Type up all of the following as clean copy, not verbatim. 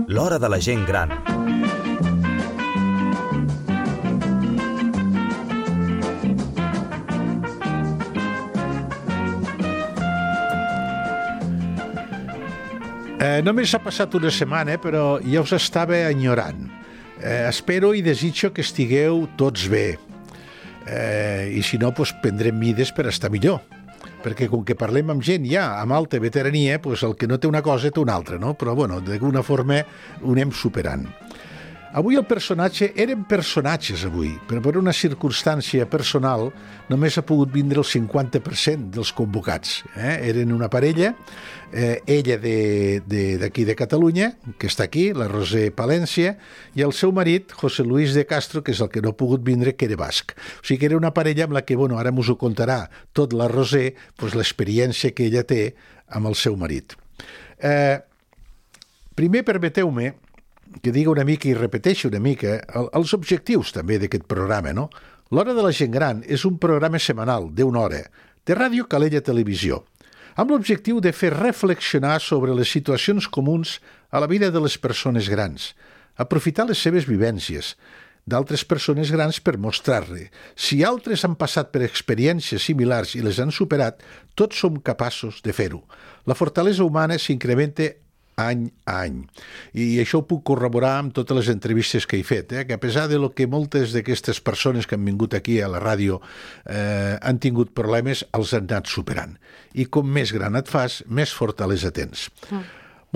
L'hora de la gent gran. Només ha passat una setmana, però ja us estava enyorant. Espero i desitjo que estigueu tots bé. I si no, doncs prendrem mides per estar millor. Perquè com que parlem amb gent ja amb alta veterania, doncs el que no té una cosa té una altra, no? Però, bueno, d'alguna forma ho anem superant. Avui eren personatges avui, però per una circumstància personal només ha pogut vindre el 50% dels convocats. Eren una parella, ella d'aquí de Catalunya, que està aquí, la Roser Palència, i el seu marit, José Luis de Castro, que és el que no ha pogut vindre, que era basc. O sigui que era una parella amb la que, bueno, ara us ho contarà tot la Roser, doncs l'experiència que ella té amb el seu marit. Primer, permeteu-me que diga una mica i repeteixi una mica els objectius també d'aquest programa, no? L'Hora de la Gent Gran és un programa setmanal d'1 hora de Ràdio Calella Televisió, amb l'objectiu de fer reflexionar sobre les situacions comuns a la vida de les persones grans, aprofitar les seves vivències d'altres persones grans per mostrar-li. Si altres han passat per experiències similars i les han superat, tots som capaços de fer-ho. La fortalesa humana s'incrementa any a any. I això ho puc corroborar amb totes les entrevistes que he fet, que a pesar de lo que moltes d'aquestes persones que han vingut aquí a la ràdio han tingut problemes, els han anat superant. I com més gran et fas, més fortalesa tens.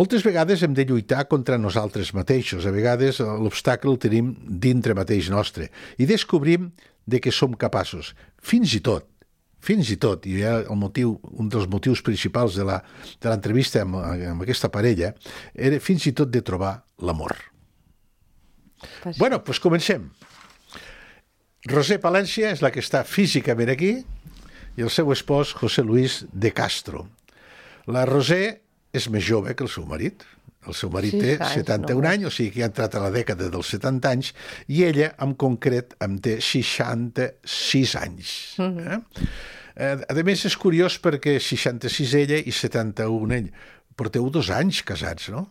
Moltes vegades hem de lluitar contra nosaltres mateixos. A vegades l'obstacle el tenim dintre mateix nostre. I descobrim de què som capaços. Fins i tot, i un dels motius principals de l'entrevista amb aquesta parella era fins i tot de trobar l'amor. Bueno, doncs comencem. Roser Palència és la que està físicament aquí i el seu espòs, José Luis de Castro. La Roser és més jove que el seu marit. El seu marit té 71 anys, o sigui que ha entrat a la dècada dels 70 anys, i ella, en concret, en té 66 anys. A més, és curiós perquè 66 ella i 71 ell. Porteu 2 anys casats, no?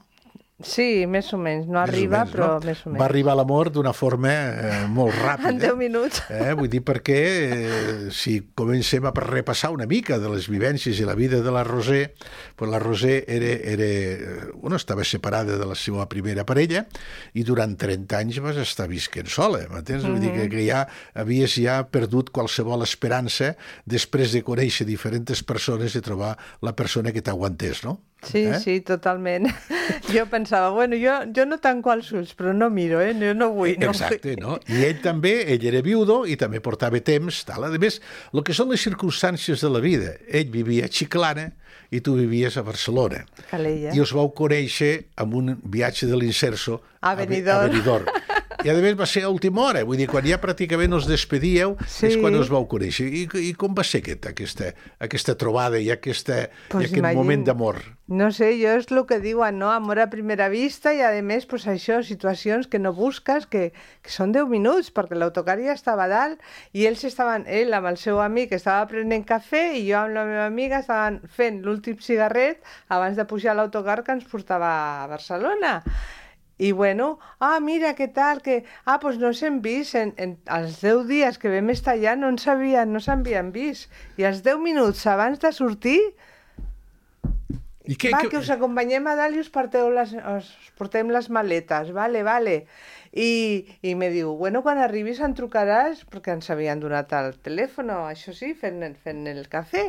Sí, més o menys. No arriba, però més o menys. Va arribar l'amor d'una forma molt ràpida. En 10 minuts. Vull dir, perquè si comencem a repassar una mica de les vivències i la vida de la Roser, doncs la Roser estava separada de la seva primera parella i durant 30 anys vas estar visquent sola, m'entens? Vull dir que ja havies perdut qualsevol esperança després de conèixer diferents persones i trobar la persona que t'aguantés, no? Sí, totalment. Jo pensava, bueno, jo no tanco els ulls, però no miro, jo no vull. Exacte, no? I ell era viudo i també portava temps, tal. A més, el que són les circumstàncies de la vida. Ell vivia a Chiclana i tu vivies a Barcelona. Calella. I us vau conèixer amb un viatge de l'Inserso a Benidorm. I a més va ser a última hora, vull dir, quan ja pràcticament us despedíeu, és quan us vau conèixer. I com va ser aquesta trobada i aquest moment d'amor? No sé, jo és el que diuen, no? Amor a primera vista i, a més, pues això, situacions que no busques, que són 10 minuts, perquè l'autocar ja estava a dalt i ell amb el seu amic estava prenent cafè i jo amb la meva amiga estaven fent l'últim cigarret abans de pujar a l'autocar que ens portava a Barcelona. I bueno, mira, què tal, doncs no s'hem vist, els 10 dies que vam estar allà no s'havien vist, i els 10 minuts abans de sortir, que us acompanyem a dalt i us portem les maletes, vale. I me diu, bueno, quan arribis em trucaràs, perquè ens havien donat el telèfon, això sí, fent el cafè.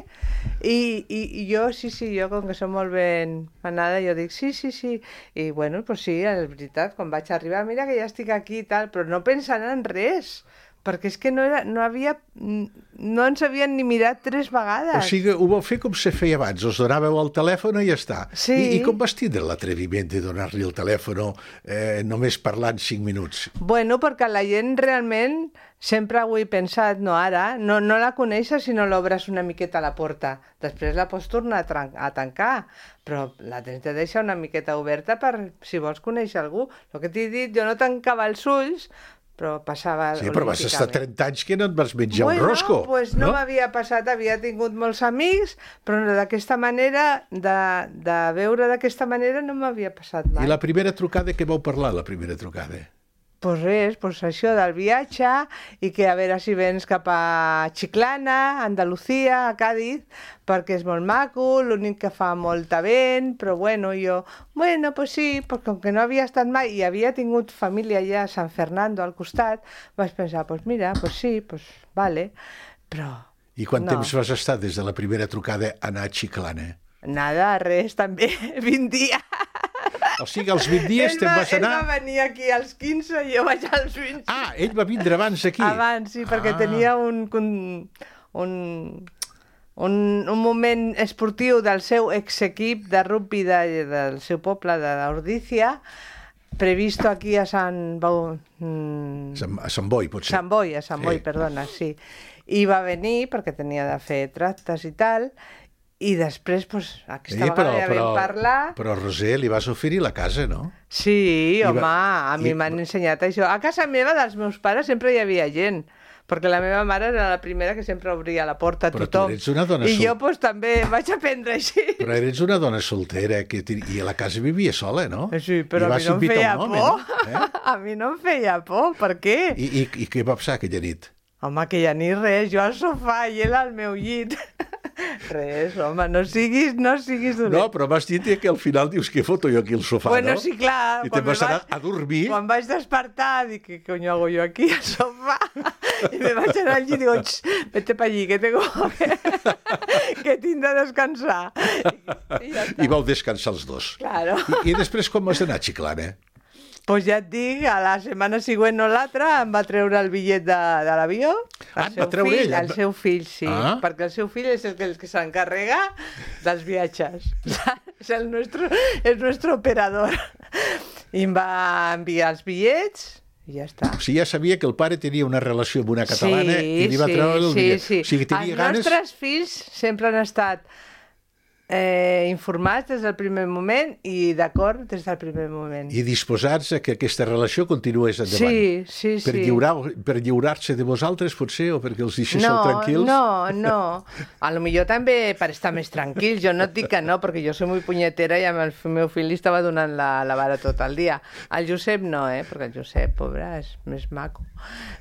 I jo, jo com que som molt ben manada, jo dic, sí. I bueno, doncs sí, és veritat, quan vaig arribar, mira que ja estic aquí i tal, però no pensant en res, perquè és que no ens havien ni mirat 3 vegades. O sigui, ho vau fer com se feia abans, us donàveu el telèfon i ja està. Sí. I com vas tindre l'atreviment de donar-li el telèfon només parlant 5 minuts? Bueno, perquè la gent realment, sempre ho he pensat, no ara, no la coneixes si no l'obres una miqueta a la porta. Després la pots tornar a tancar, però la tens de deixar una miqueta oberta per si vols conèixer algú. El que t'he dit, jo no tancava els ulls, però passava Sí, però vas estar olímpicament. 30 anys que no et vas menjar un rosco. Pues no m'havia passat, havia tingut molts amics, però no, d'aquesta manera, de veure d'aquesta manera no m'havia passat mai. I la primera trucada, què vau parlar, la primera trucada? Pues res, pues això del viatge i que a veure si vens cap a Chiclana, Andalucía, a Cádiz, perquè és molt maco, l'únic que fa molta vent, però bueno, pues sí, perquè com que no havia estat mai i havia tingut família allà a San Fernando al costat, vaig pensar, pues mira, pues sí, pues vale, però... I quant no. temps vas estar des de la primera trucada a anar a Chiclana? Nada, res, també, 20 dies. O sigui, als 20 dies te'n vas anar... Ell va venir aquí als 15 i jo vaig als 20. Ah, ell va vindre abans aquí. Abans, sí, perquè tenia un moment esportiu del seu exequip de rugby del seu poble, d'Ordícia, previsto aquí a Sant Boi, potser. Sant Boi, perdona, sí. I va venir perquè tenia de fer tractes i tal, i després, doncs, aquesta vegada ja vam parlar... Però, Roser, li vas oferir la casa, no? Sí, home, a mi m'han ensenyat això. A casa meva, dels meus pares, sempre hi havia gent, perquè la meva mare era la primera que sempre obria la porta a tothom. Però tu eres una dona I jo, doncs, també vaig aprendre així. Però eres una dona soltera, i a la casa vivia sola, no? Sí, però a mi no em feia por. No? A mi no em feia por, per què? I què va passar aquella nit? Home, que ja ni res, jo al sofà i ell al meu llit. Res, home, no siguis dolent. No, però m'has dit que al final dius que foto jo aquí al sofà, bueno, no? Sí, clar. I te'n vas anar a dormir. Quan vaig despertar, dic, ¿qué coño hago yo aquí al sofà? I me vaig anar al llit i digo, vete pa allí, que tengo que tinc de descansar. I ja està. I vau descansar els dos. Claro. I després com vas anar a Chiclana? Pues ja et dic, a la setmana següent o l'altra em va treure el bitllet de l'avió. Et va treure ell? El seu fill, sí. Perquè el seu fill és el que s'encarrega dels viatges. És el nuestro operador. I em va enviar els bitllets i ja està. O sigui, ja sabia que el pare tenia una relació amb una catalana i li va treure el bitllet. Sí. O sigui, tenia ganes... Els nostres fills sempre han estat informats des del primer moment i d'acord des del primer moment. I disposats a que aquesta relació continués endavant. Sí. Per lliurar-se de vosaltres, potser, o perquè els deixéssiu tranquils? No. A lo millor també per estar més tranquils. Jo no et dic que no, perquè jo soy muy punyetera i amb el meu fill li estava donant la vara tot el dia. El Josep no, perquè el Josep, pobre, és més maco.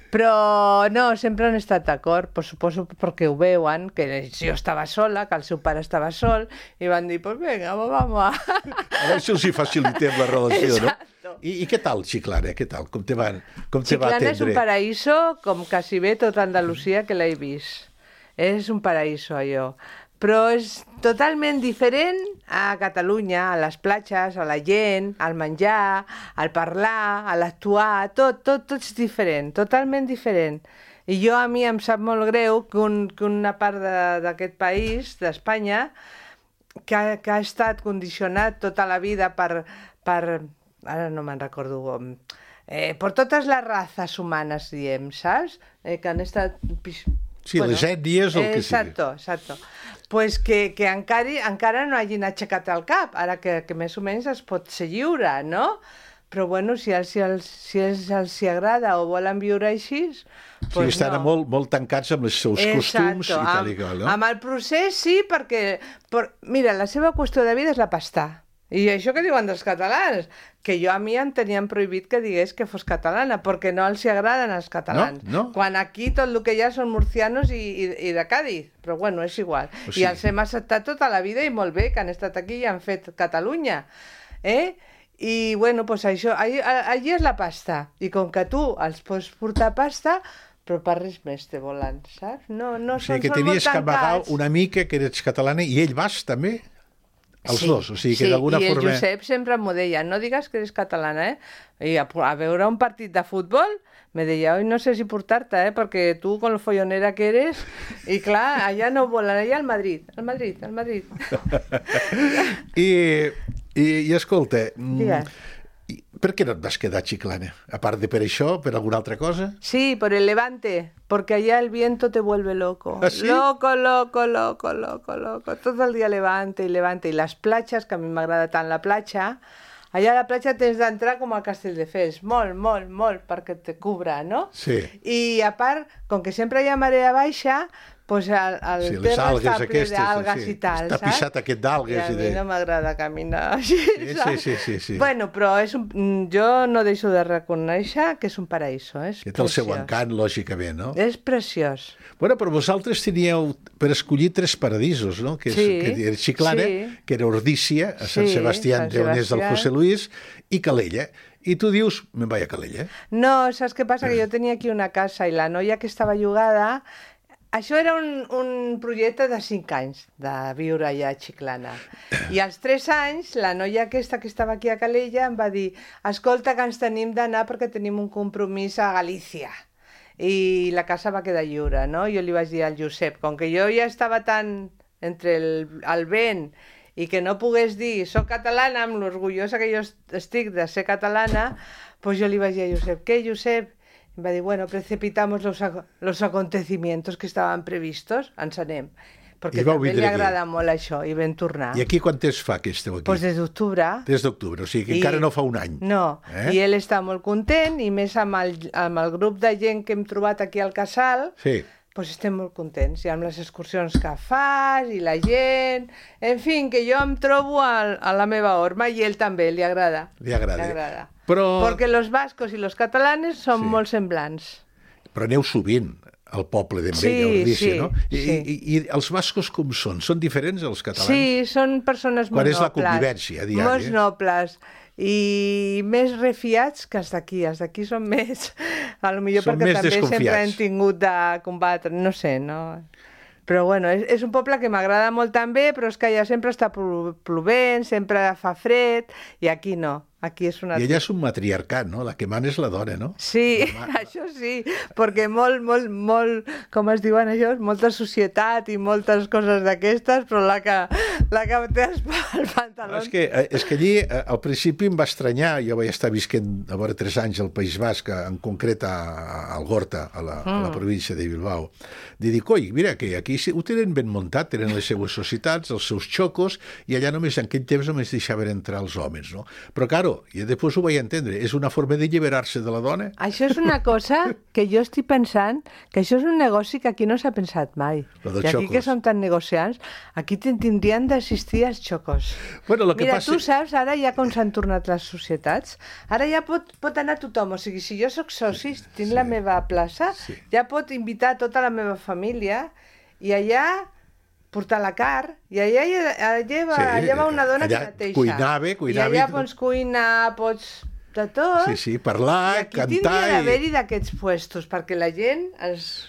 Però no, sempre han estat d'acord, pues suposo perquè ho veuen, que jo estava sola, que el seu pare estava sol, i van dir, pues venga, vamos a... A veure si els hi facilitem la relació, Exacto. no? I què tal, Chiclana? Què tal? Com te va atendre? Chiclana és un paraíso com quasi bé tota Andalusia que l'he vist. És un paraíso, allò. Però és totalment diferent a Catalunya, a les platges, a la gent, al menjar, al parlar, a l'actuar, tot és diferent, totalment diferent. I a mi em sap molt greu que una part d'aquest país, d'Espanya, que ha estat condicionat tota la vida per ara no me'n recordo per totes les races humanes, diem, saps? Que han estat... Sí, bueno, les ètnies o el que sigui. Exacto. Pues que encara no hagin aixecat el cap, ara que més o menys es pot ser lliure, no? Però bueno, si els agrada o volen viure així... Pues estan no. molt tancats amb els seus costums i tal i qual, no? Amb el procés sí, perquè... Mira, la seva qüestió de vida és la pasta. I això que diuen dels catalans, que a mi em tenien prohibit que digués que fos catalana, perquè no els agraden els catalans. No? Quan aquí tot el que hi ha són murcianos i de Cádiz, però bueno, és igual. O sigui... I els hem acceptat tota la vida i molt bé, que han estat aquí i han fet Catalunya. I bueno, doncs això, allí és la pasta. I com que tu els pots portar pasta, però per res més te volen, saps? No, o sigui, que tenies que amagar una mica que eres catalana i ell vas també? Els dos, o sigui que d'alguna forma... Sí, i el Josep sempre m'ho deia, no digues que eres catalana, I a veure un partit de futbol me deia, oi, no sé si portar-te, perquè tu, con lo follonera que eres, i clar, allà no volen, allà al Madrid. I escolta, digues. Per què no et vas quedar a Chiclana? A part de per això, per alguna altra cosa? Sí, por el levante, porque allá el viento te vuelve loco. ¿Ah, sí? Loco. Todo el día levante. I les platges, que a mi m'agrada tant la platja, allà a la platja tens d'entrar com a Castelldefels, molt, perquè te cubra, no? Sí. I a part, com que sempre hi ha marea baixa, pues el Sí, les terra algues està ple aquestes, d'algues sí. i tal, Està saps? pixat aquest d'algues I a i mi de... no m'agrada caminar així, saps? Sí. Bueno, però jo no deixo de reconèixer que és un paraíso, és Que té el seu preciós. encant, lògicament, no? És preciós. Bueno, però vosaltres teníeu per escollir 3 paradisos, no? Que, Sí, que era Chiclana, sí. que era Ordícia, a Sant Sí, Sebastián, Sant d'on és el Sebastián. José Luis, i Calella. I tu dius, me'n vaig a Calella. No, saps què passa? Que jo tenia aquí una casa i la noia que estava llogada... Això era un projecte de 5 anys, de viure allà a Chiclana. I als 3 anys, la noia aquesta que estava aquí a Calella em va dir escolta, que ens tenim d'anar perquè tenim un compromís a Galícia. I la casa va quedar lliure, no? Jo li vaig dir al Josep, com que jo ja estava tan entre el vent i que no pogués dir soc catalana, amb l'orgullosa que jo estic de ser catalana, doncs jo li vaig dir a Josep, què, Josep? Em va dir, bueno, precipitamos los acontecimientos que estaven previstos, ens anem. Perquè I vau també vindre li aquí. agrada molt això, i vam tornar. I aquí quant temps fa que esteu aquí? Doncs des d'octubre. Des d'octubre, o sigui que encara no fa un any. No, i ell està molt content, i més amb el grup de gent que hem trobat aquí al casal, Sí. doncs estem molt contents, i amb les excursions que fas, i la gent... En fi, que jo em trobo a la meva horma, i ell també, li agrada. Li agrada. Li agrada. Però... Porque los vascos y los catalanes són Sí. molt semblants. Però aneu sovint al poble d'Envella, Sí, Ordícia, sí, no? sí. I els bascos com són? Són diferents als catalans? Sí, són persones molt Quan nobles. és la convivència diària? Molt nobles. I més refiats que els d'aquí. Els d'aquí són més... A lo millor Són perquè més també sempre desconfiats. hem tingut de combatre, no sé, no? Però bueno, és un poble que m'agrada molt també, però és que allà sempre està plovent, sempre fa fred, i aquí no. Aquí és una... I allà és un matriarcat, no? La que mana és la dona, no? Sí, això sí, perquè molt, com es diuen això, molta societat i moltes coses d'aquestes, però la que té el pantaló... És que allí, al principi em va estranyar, jo vaig estar visquent a vora 3 anys al País Basc, en concret a Algorta, a la província de Bilbao. De dir, coi, mira, que aquí ho tenen ben muntat, tenen les seues societats, els seus xocos, i allà només en aquell temps només deixaven entrar els homes, no? Però, claro, i després ho vaig entendre, és una forma d'alliberar-se de la dona? Això és una cosa que jo estic pensant, que això és un negoci que aquí no s'ha pensat mai. Lo dels I aquí xocos. que són tan negociants, aquí tindrien d'assistir als xocos. Bueno, lo que Mira, passa... tu saps, ara ja com s'han tornat les societats, ara ja pot anar tothom, o sigui, si jo sóc soci, tinc la meva plaça, ja pot invitar tota la meva família i allà portar la carn, i allà va una dona allà que neteja. cuinava I allà i tot. pots cuinar, pots de tot. Sí, parlar, I aquí cantar... tindria d'haver-hi d'aquests puestos, perquè la gent...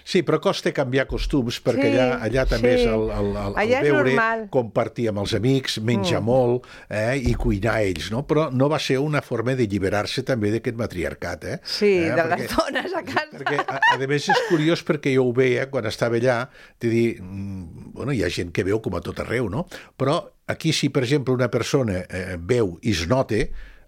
Sí, però costa canviar costums, perquè Sí, allà també sí. és el Allà és veure, normal. compartir amb els amics, menjar molt i cuinar ells, no? Però no va ser una forma d'alliberar-se també d'aquest matriarcat, eh? Sí, de les dones a casa. Perquè, a més, és curiós perquè jo ho veia quan estava allà, de dir, bueno, hi ha gent que veu com a tot arreu, no? Però aquí, si, per exemple, una persona veu i es nota,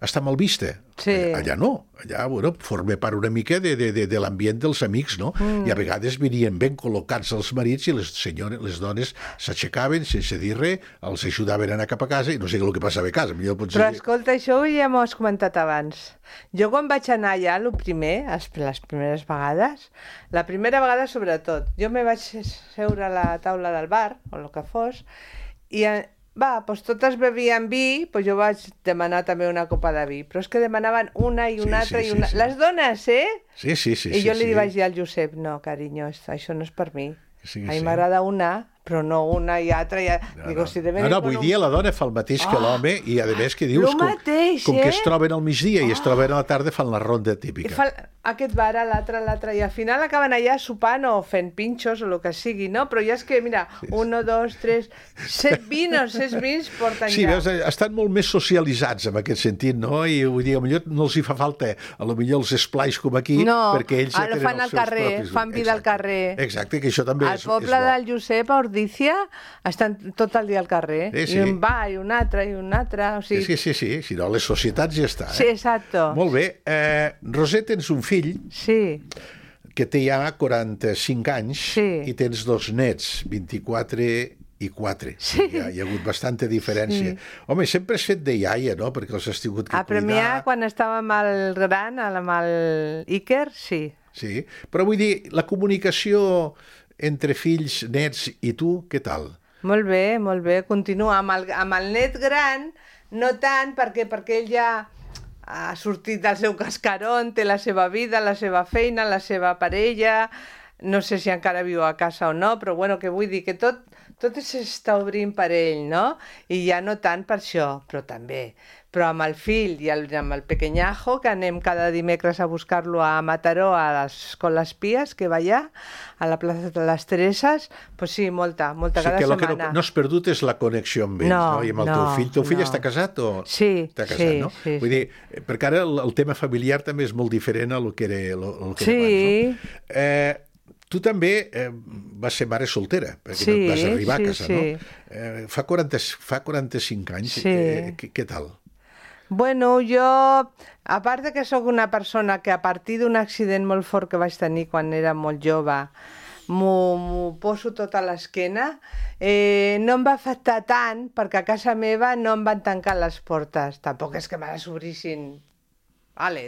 està mal vista. Sí. Allà no. Allà, bueno, forma part una mica de l'ambient dels amics, no? I a vegades venien ben col·locats els marits i les dones s'aixecaven sense dir res, els ajudaven a anar cap a casa i no sé què el que passava a casa. Però escolta, això ja m'ho has comentat abans. Jo quan vaig anar allà, les primeres vegades, la primera vegada sobretot, jo me vaig seure a la taula del bar, o el que fos, i doncs totes bevien vi, doncs jo vaig demanar també una copa de vi, però és que demanaven una i una altra i una... sí. Les dones, eh? Sí. I jo li vaig dir al Josep, no, carinyo, això no és per mi. Sí, A mi m'agrada una, però no una i altra. Digo, si avui dia la dona fa el mateix que l'home i a més que dius com que es troben al migdia i es troben a la tarda fan la ronda típica. I fa aquest bar, l'altre, i al final acaben allà sopant o fent pinxos o el que sigui, no? Però ja és que, mira, 1, 2, 3, 7 vins porten Sí, ja. veus, estan molt més socialitzats en aquest sentit, no? I vull dir, potser no els hi fa falta potser els esplais com aquí, perquè ells ja tenen fan al carrer, fan vida al carrer. Exacte, que això també Al poble del Josep, a Ordícia, estan tot el dia al carrer. Sí. I un va, i un altre, i un altre. O sigui... Sí, si no, les societats ja està. Sí, exacto. Molt bé. Roser, tens un fill Sí. que té ja 45 anys Sí. i tens 2 nets, 24 i 4. Sí. Hi ha hagut bastanta diferència. Sí. Home, sempre has fet de iaia, no? Perquè els has tingut que A Premià, cuidar. quan estava amb el gran, amb el Iker, sí. Sí, però vull dir, la comunicació entre fills, nets i tu, què tal? Molt bé. Continua. Amb el net gran, no tant, perquè ell ja ha sortit del seu cascarón, té la seva vida, la seva feina, la seva parella, no sé si encara viu a casa o no, però bueno, que vull dir que tot s'està obrint per ell, no? I ja no tant per això, però també. Però amb el fill i amb el pequeñajo, que anem cada dimecres a buscar-lo a Mataró, a l'escola Espies, que va allà, a la plaça de les Tereses, pues sí, molta cada que setmana. El que no has perdut és la connexió amb ells, no? I amb el teu fill. Teu fill està casat o...? Sí, està casat, no? Sí. Vull dir, perquè ara el tema familiar també és molt diferent a lo que era, el que sí. era abans, no? Tu també vas ser mare soltera, perquè vas arribar a casa, no? Fa 45 anys. Què tal? Bueno, jo, a part de que sóc una persona que a partir d'un accident molt fort que vaig tenir quan era molt jove, m'ho poso tot a l'esquena, no em va afectar tant perquè a casa meva no em van tancar les portes. Tampoc és que me les obrissin,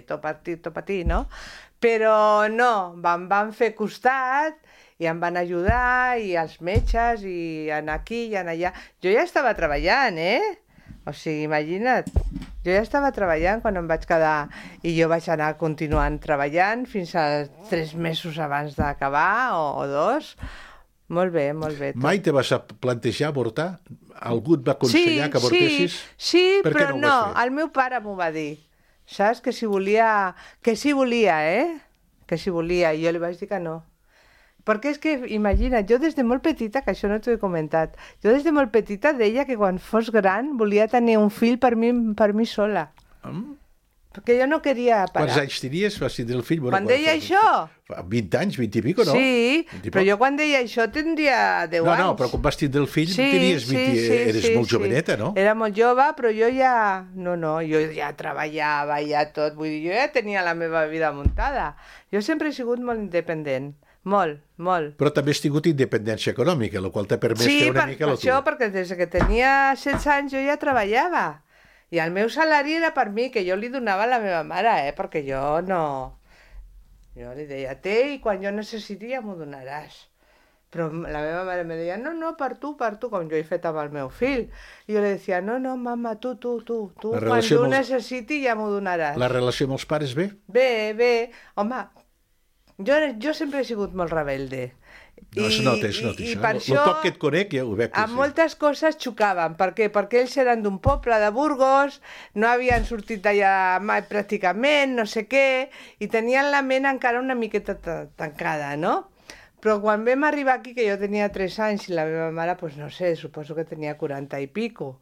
tot per ti, no? Però no, em van fer costat i em van ajudar, i els metges, i anar aquí i anar allà. Jo ja estava treballant, O sigui, imagina't, jo ja estava treballant quan em vaig quedar, i jo vaig anar continuant treballant fins a 3 mesos abans d'acabar, o 2. Molt bé. Mai te vas plantejar avortar? Algú et va aconsellar que avortessis? Sí, però no, el meu pare m'ho va dir. Saps? Que si volia, Que si volia, i jo li vaig dir que no. Perquè és que, imagina't, jo des de molt petita, que això no t'ho he comentat, jo des de molt petita deia que quan fos gran volia tenir un fill per mi sola. Perquè jo no queria parar. Quants anys tenies? Vas tindre el fill? Quan deia això? 20 anys, 20 i pico, no? Sí, però jo quan deia això tindria 10 anys. No, però quan vas tindre el fill tenies 20... Eres molt joveneta, no? Era molt jove, però jo ja... No, jo ja treballava, ja tot. Vull dir, jo ja tenia la meva vida muntada. Jo sempre he sigut molt independent. Molt. Però també has tingut independència econòmica, la qual t'ha permès fer una mica la tua. Sí, per això, perquè des que tenia 16 anys jo ja treballava. I el meu salari era per mi, que jo li donava a la meva mare, perquè jo no... Jo li deia, i quan jo necessiti ja m'ho donaràs. Però la meva mare me deia, no, per tu, com jo he fet amb el meu fill. I jo li deia, no, mama, tu, quan tu necessiti ja m'ho donaràs. La relació amb els pares bé? Bé. Home, jo sempre he sigut molt rebelde. No, es nota. I per això, el poc que et conec ja ho veig. Amb moltes coses xocaven. Per què? Perquè ells eren d'un poble de Burgos, no havien sortit d'allà mai pràcticament, no sé què, i tenien la ment encara una miqueta tancada, no? Però quan vam arribar aquí, que jo tenia 3 anys, i la meva mare, doncs no sé, suposo que tenia 40 i pico,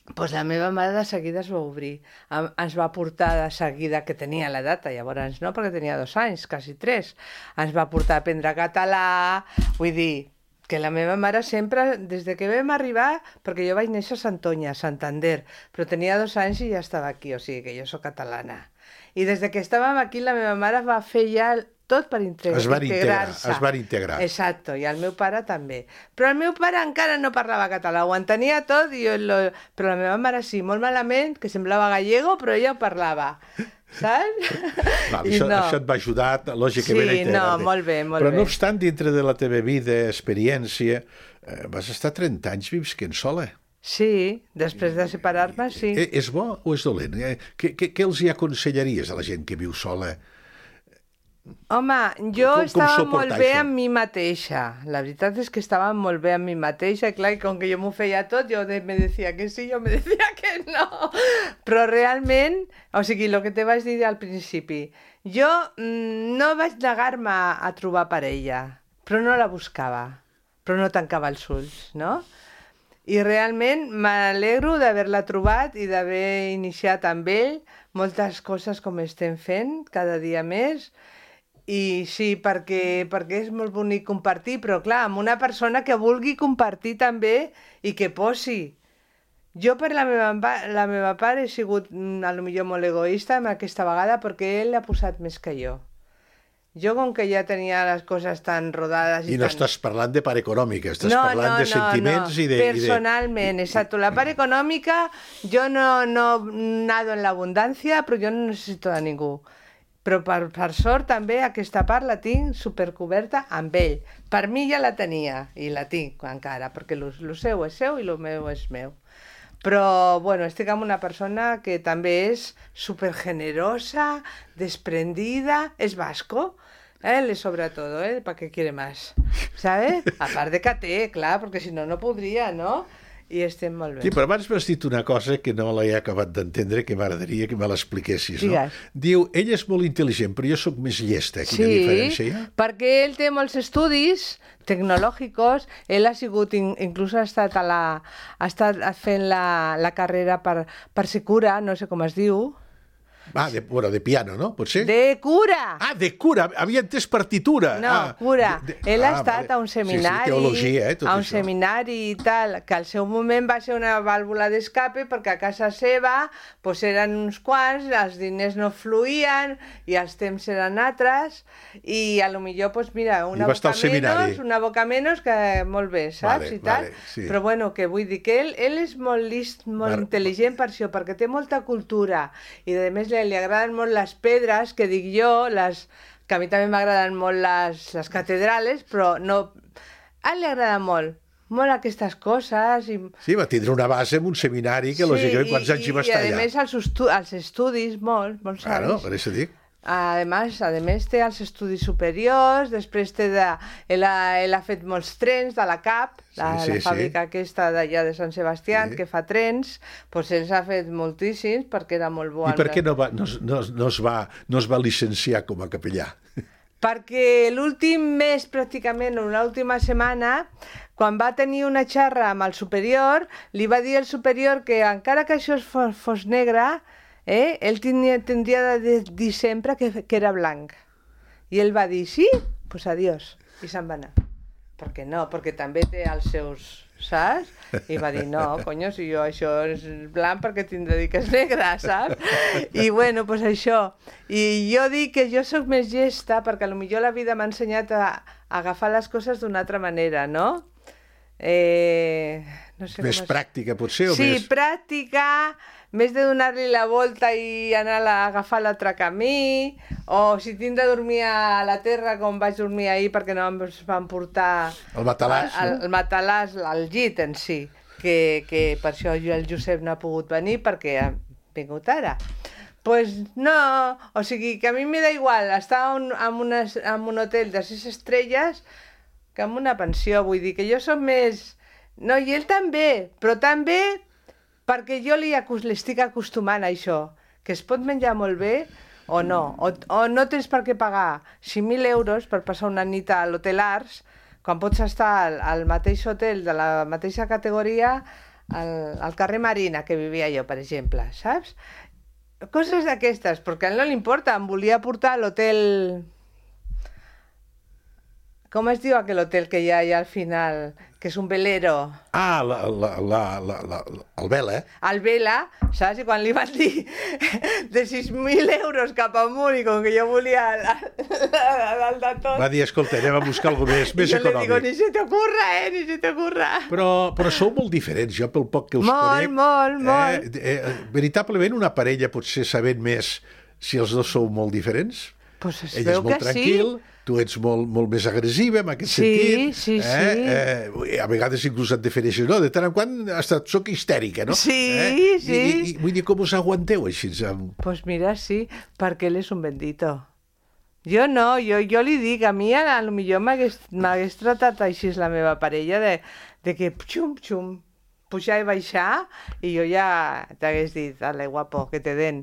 doncs la meva mare de seguida es va obrir. Ens va portar de seguida, que tenia l'edat, llavors no, perquè tenia 2 anys, quasi 3. Ens va portar a aprendre català, vull dir, que la meva mare sempre, des de que vam arribar, perquè jo vaig néixer a Santoña, a Santander, però tenia 2 anys i ja estava aquí, o sigui que jo sóc catalana. I des de que estàvem aquí, la meva mare va fer ja tot per integrar-se. Es van integrar. Exacto, i el meu pare també. Però el meu pare encara no parlava català, ho entenia tot, però la meva mare sí, molt malament, que semblava gallego, però ella ho parlava. Saps? Això et va ajudar, lògicament, a integrar-te. Sí, molt bé. Però no obstant, dintre de la teva vida, experiència, vas estar 30 anys visquent sola. Sí, després de separar-me, sí. És bo o és dolent? Què els hi aconsellaries a la gent que viu sola? Home, jo estava molt bé amb mi mateixa. La veritat és que estava molt bé amb mi mateixa, i clar, com que jo m'ho feia tot, jo me decía que sí, jo me decía que no. Però realment, o sigui, el que te vaig dir al principi, jo no vaig negar-me a trobar parella, però no la buscava, però no tancava els ulls, no? I realment m'alegro d'haver-la trobat i d'haver iniciat amb ell moltes coses com estem fent cada dia més. I sí, perquè és molt bonic compartir, però clar, amb una persona que vulgui compartir també i que posi. Jo per la meva part he sigut potser molt egoista amb aquesta vegada, perquè ell l'ha posat més que jo. Jo, com que ja tenia les coses tan rodades... I no estàs parlant de part econòmica, estàs parlant de sentiments i de... Personalment, exacto. La part econòmica, jo no nado en l'abundància, però jo no necessito de ningú. Però per sort també aquesta part la tinc supercoberta amb ell. Per mi ja la tenia, i la tinc encara, perquè el seu és seu i el meu és meu. Però, bueno, estic amb una persona que també és supergenerosa, desprendida, és vasco. Le sobra todo, ¿para qué quiere más? ¿Sabes? Aparte que té, clar, perquè si no, no podria, no? I estem molt bé. Sí, però abans m'has dit una cosa que no l'he acabat d'entendre, que m'agradaria que me l'expliquessis, no? Digues. Diu, ell és molt intel·ligent, però jo sóc més llesta. Quina diferència hi ha? Perquè ell té molts estudis tecnològics, ell ha sigut, inclús ha estat fent la carrera per ser cura, no sé com es diu. De piano, no? Potser? De cura! De cura! Havia entès partitura! No, cura. Ell ha estat a un seminari, teologia, tot a un això. seminari i tal, que al seu moment va ser una vàlvula d'escape perquè a casa seva eren uns quants, els diners no fluïen i els temps eren altres i a lo millor, mira, una boca menys que molt bé, saps? I tal. Sí. Però bueno, que vull dir que ell és molt list, molt intel·ligent per això, perquè té molta cultura i a més li agraden molt les pedres, que dic jo, que a mi també m'agraden molt les catedrales, però no... A ell li agrada molt aquestes coses. Sí, va tindre una base en un seminari que, lògicament, quants anys hi va estar allà. I a més els estudis, molts anys. Claro, per això dic. A més té els estudis superiors, després ell ha fet molts trens de la CAP, la fàbrica aquesta d'allà de Sant Sebastià, que fa trens, ell ha fet moltíssims perquè era molt bo. I per què no es va llicenciar com a capellà? Perquè l'últim mes, pràcticament, l'última setmana, quan va tenir una xarra amb el superior, li va dir al superior que encara que això fos negre, ell tindria de dir sempre que era blanc. I ell va dir, sí, pues adiós. I se'n va anar. Per què no? Perquè també té els seus, saps? I va dir, no, conyo, si jo això és blanc perquè tindré de dir que és negre, saps? I bueno, pues això. I jo dic que jo sóc més llesta perquè potser la vida m'ha ensenyat a agafar les coses d'una altra manera, no? No sé més pràctica, potser? Sí, pràctica, més de donar-li la volta i anar a agafar l'altre camí, o si tinc de dormir a la terra com vaig dormir ahir perquè no em van portar el matalàs, el matalàs, el llit en si, que per això el Josep no ha pogut venir perquè ha vingut ara. Pues no, o sigui que a mi m'he igual estar en un hotel de 6 estrelles que en una pensió, vull dir que jo soc més... No, i ell també, però també perquè jo l'estic acostumant a això, que es pot menjar molt bé o no, o no tens per què pagar 5.000 euros per passar una nit a l'Hotel Arts, quan pots estar al mateix hotel de la mateixa categoria al carrer Marina, que vivia jo, per exemple, saps? Coses d'aquestes, perquè a ell no li importa, em volia portar a l'hotel... Com es diu aquell hotel que hi ha allà al final, que és un velero? El Vela, El Vela, saps? I quan li van dir de 6.000 euros cap amunt i com que jo volia dalt de tot... Va dir, escolta, anem a buscar alguna més econòmic. Jo li digo, ni se t'ocurra, ni se t'ocurra. Però sou molt diferents, jo pel poc que us conec... Molt. Veritablement una parella pot ser sabent més si els dos sou molt diferents? Pues es ell veu és molt que tranquil, sí. Tu ets molt més agressiva en aquest sentit. Sí. A vegades inclús et defineixes, no? De tant en quant soc histèrica, no? Sí. I vull dir, com us aguanteu així? Pues mira, sí, perquè ell és un bendito. Jo no, jo li dic, a mi a lo millor m'hagués tratat així la meva parella, de que xum, pujar i baixar, i jo ja t'hagués dit, ale, guapo, que te den.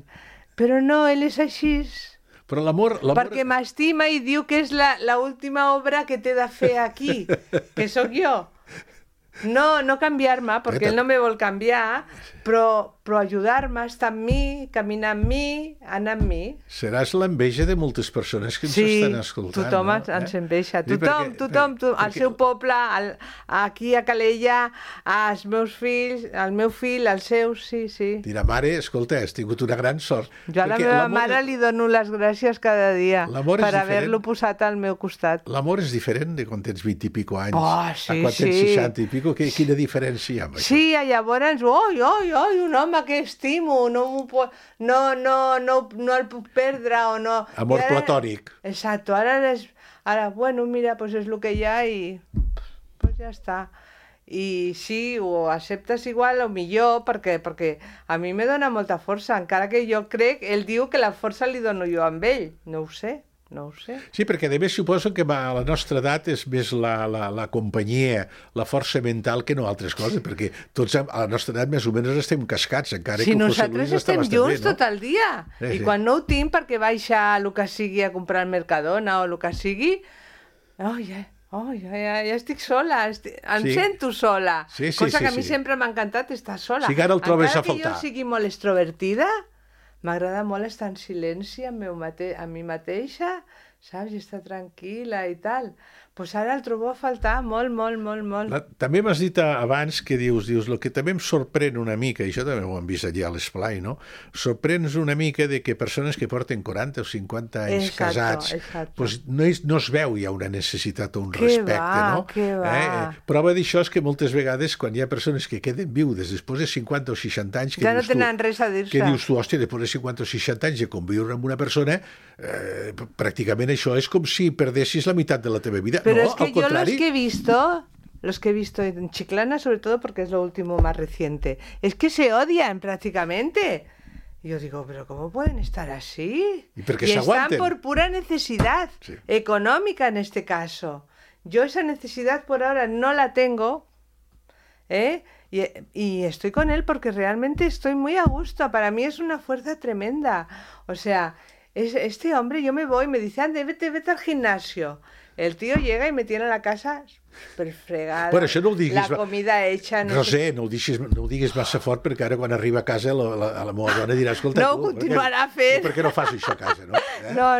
Però no, ell és així... Però l'amor... Perquè m'estima i diu que és l'última obra que té de fer aquí, que sóc jo. no canviar-me, perquè ell no me vol canviar, però ajudar-me, estar amb mi, caminar amb mi, anar amb mi. Seràs l'enveja de moltes persones que ens estan escoltant. Sí, tothom ens enveja. Tothom, al seu poble, aquí a Calella, als meus fills, al meu fill, als seus, sí. Dirà, mare, escolta, has tingut una gran sort. Jo a la meva mare li dono les gràcies cada dia per haver-lo posat al meu costat. L'amor és diferent de quan tens 20 i pico anys a quan tens 60 i pico. Quina diferència hi ha amb això? Sí, llavors, un home que estimo, no el puc perdre o no... Amor platònic. Exacto, ara, bueno, mira, pues és el que hi ha i pues ja està. I sí, ho acceptes igual o millor perquè a mi me dona molta força, encara que jo crec, ell diu que la força li dono jo amb ell, no ho sé. Sí, perquè a més suposo que a la nostra edat és més la companyia, la força mental que no altres coses, perquè tots a la nostra edat més o menys estem cascats, encara que José Luis està bastant bé, no? Si nosaltres estem junts tot el dia, i quan no ho tinc perquè baixa el que sigui a comprar al Mercadona o el que sigui, ja estic sola, em sento sola, cosa que a mi sempre m'ha encantat estar sola. Sí, ara el trobes a faltar. Encara que jo sigui molt extrovertida, m'agrada molt estar en silenci amb mi mateixa, saps? I estar tranquil·la i tal. Doncs ara el trobo a faltar molt. També m'has dit abans que dius, el que també em sorprèn una mica, i això també ho hem vist allà a l'Esplai, no? Sorprèn una mica de que persones que porten 40 o 50 anys casats, doncs no es veu ja una necessitat o un respecte, no? Que va. Prova d'això és que moltes vegades quan hi ha persones que queden viudes després de 50 o 60 anys, ja no tenen res a dir-se. Que dius tu, hòstia, després de 50 o 60 anys de conviure amb una persona, pràcticament això és com si perdessis la meitat de la teva vida. Pero es que yo los que he visto en Chiclana, sobre todo porque es lo último más reciente, es que se odian prácticamente. Y yo digo, ¿pero cómo pueden estar así? Y están por pura necesidad económica en este caso. Yo esa necesidad por ahora no la tengo, y estoy con él porque realmente estoy muy a gusto. Para mí es una fuerza tremenda. O sea, este hombre, yo me voy, me dice, ande, vete al gimnasio. El tío llega y me tiene la casa perfregada, bueno, això no ho diguis, la comida hecha... No sé, no ho diguis massa fort, perquè ara quan arriba a casa la meva dona dirà, escolta, no ho continuarà fent. Per què no fas això a casa, no? No,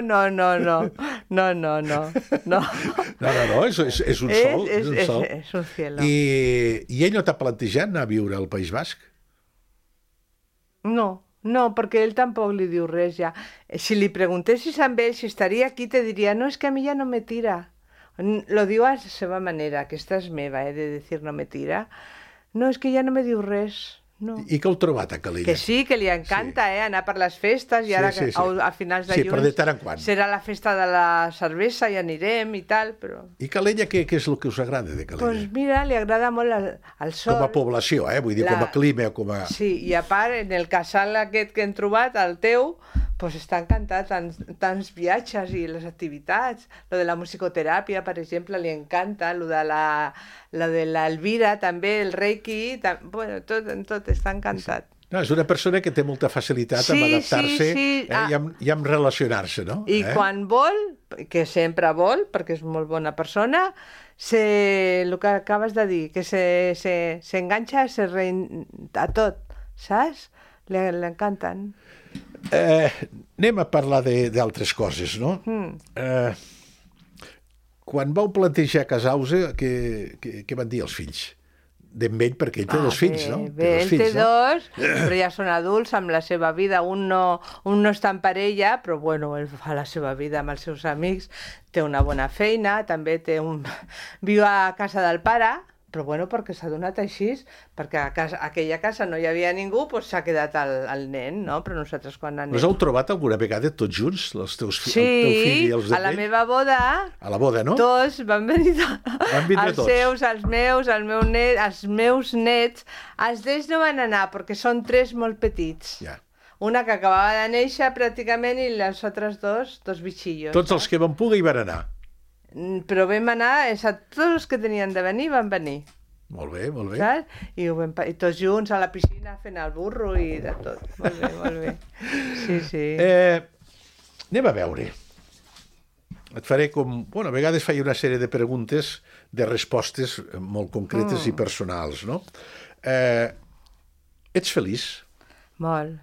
és un sol. És un cielo. I ell no t'ha plantejat anar a viure al País Basc? No, perquè ell tampoc li diu res ja. Si li preguntessis a ell si estaria aquí, te diria, no, és que a mi ja no me tira. Lo diu a la seva manera, aquesta és meva, de dir no me tira. No, és que ja no me diu res. No. I què heu trobat a Calella? Que sí, que li encanta anar per les festes i ara a finals de juny però de tant en quant. Serà la festa de la cervesa i anirem i tal, però... I Calella, què és el que us agrada de Calella? Doncs mira, li agrada molt el sol. Com a població, vull dir, com a clima o com a... Sí, i a part, en el casal aquest que hem trobat, el teu, doncs està encantat, tants viatges i les activitats. Lo de la musicoteràpia, per exemple, li encanta, lo de l'Elvira també, el Reiki, bueno, tot està encantat. No, és una persona que té molta facilitat en adaptar-se i en relacionar-se, no? I quan vol, que sempre vol, perquè és molt bona persona, el que acabes de dir, que s'enganxa a tot, saps? L'encanten. Anem a parlar d'altres coses, no? Quan vau plantejar casar-vos, què van dir els fills? D'en ell, perquè ell té dos fills, no? Ell té dos, però ja són adults amb la seva vida. Un no està en parella, però bueno, ell fa la seva vida amb els seus amics, té una bona feina, també viu a casa del pare, però bueno, perquè s'ha donat així, perquè a aquella casa no hi havia ningú, doncs s'ha quedat el nen, no? Però nosaltres quan anem... Us heu trobat alguna vegada tots junts, els teus fills i els a la meva boda... A la boda, no? Tots van venir els seus, els meus, els meus nets. Els d'ells no van anar, perquè són tres molt petits. Ja. Una que acabava de néixer, pràcticament, i les altres dos bitxillos. Tots els que van poder hi van anar. Però vam anar, tots els que tenien de venir van venir. Molt bé, molt bé. Saps? I tots junts a la piscina fent el burro i de tot. Molt bé. Sí. Anem a veure. et faré com... Bueno, a vegades faig una sèrie de preguntes, de respostes molt concretes i personals, no? Ets feliç? Molt,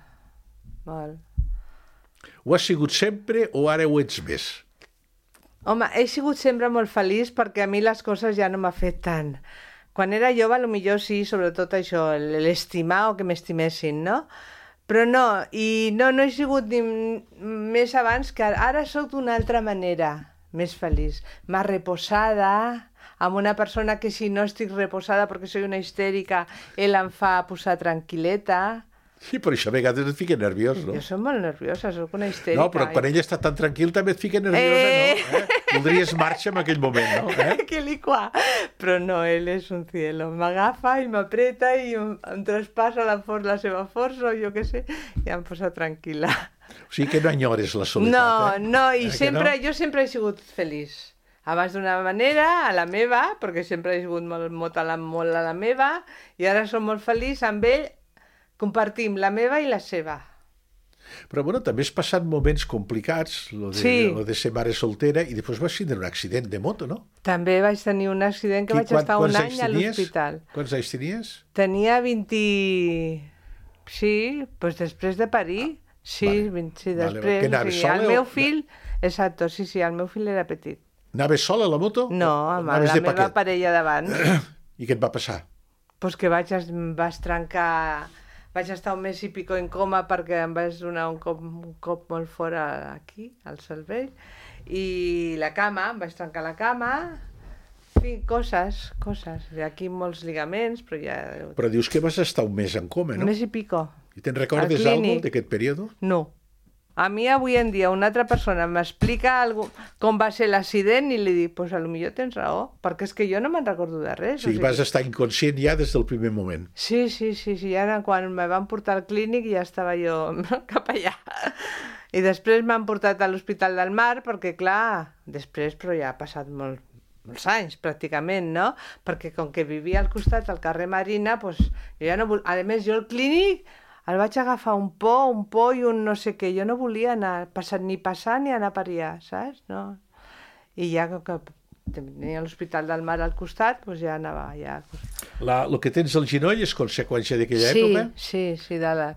molt. Ho has sigut sempre o ara ho ets més? Home, he sigut sempre molt feliç perquè a mi les coses ja no m'ha fet tant. Quan era jove, potser sí, sobretot això, l'estimar o que m'estimessin, no? Però no, i no he sigut ni més abans que ara sóc d'una altra manera, més feliç, més reposada, amb una persona que si no estic reposada perquè soy una histèrica, ell em fa posar tranquil·leta. Sí, però això a vegades et fica nerviós, no? Jo soc molt nerviosa, soc una histèrica. No, però quan ell està tan tranquil també et fica nerviosa, no? Voldries marxa en aquell moment, no? Que licua. Però no, ell és un cielo. M'agafa i m'apreta i em traspassa la seva força, o jo què sé, i em posa tranquil·la. O sigui que no enyores la soledat, No, i sempre, jo sempre he sigut feliç. Abans d'una manera, a la meva, perquè sempre he sigut molt a la meva, i ara som molt feliç amb ell. Compartim la meva i la seva. Però, bueno, també has passat moments complicats, lo de ser mare soltera, i després vas tindre un accident de moto, no? També vaig tenir un accident que vaig estar un any a l'hospital. Quants anys tenies? Tenia 20... Sí, doncs després de parir. Sí, després. Que anaves sola? El meu fill... Exacto, sí, el meu fill era petit. Anaves sola a la moto? No, amb la meva parella davant. I què et va passar? Pues que vaig trencar... Vaig estar un mes i pico en coma perquè em vaig donar un cop molt fort aquí, al cervell, i la cama, em vaig trencar la cama, en fi, coses, i aquí molts ligaments, però ja... Però dius que vas estar un mes en coma, no? Un mes i pico. I te'n recordes alguna cosa d'aquest període? No. A mi avui en dia una altra persona m'explica com va ser l'accident i li dic, pues potser tens raó, perquè és que jo no me'n recordo de res. O sigui, vas estar inconscient ja des del primer moment. Sí, ara quan me van portar al clínic ja estava jo cap allà. I després m'han portat a l'Hospital del Mar, perquè clar, després, però ja ha passat molts anys pràcticament, no? Perquè com que vivia al costat, al carrer Marina, pues, jo ja no a més, jo al clínic el vaig agafar un por i un no sé què. Jo no volia anar ni passar ni anar a pariar, saps? No. I ja que tenia l'Hospital del Mar al costat, doncs ja anava allà. El que tens al genoll és conseqüència d'aquella època? Sí,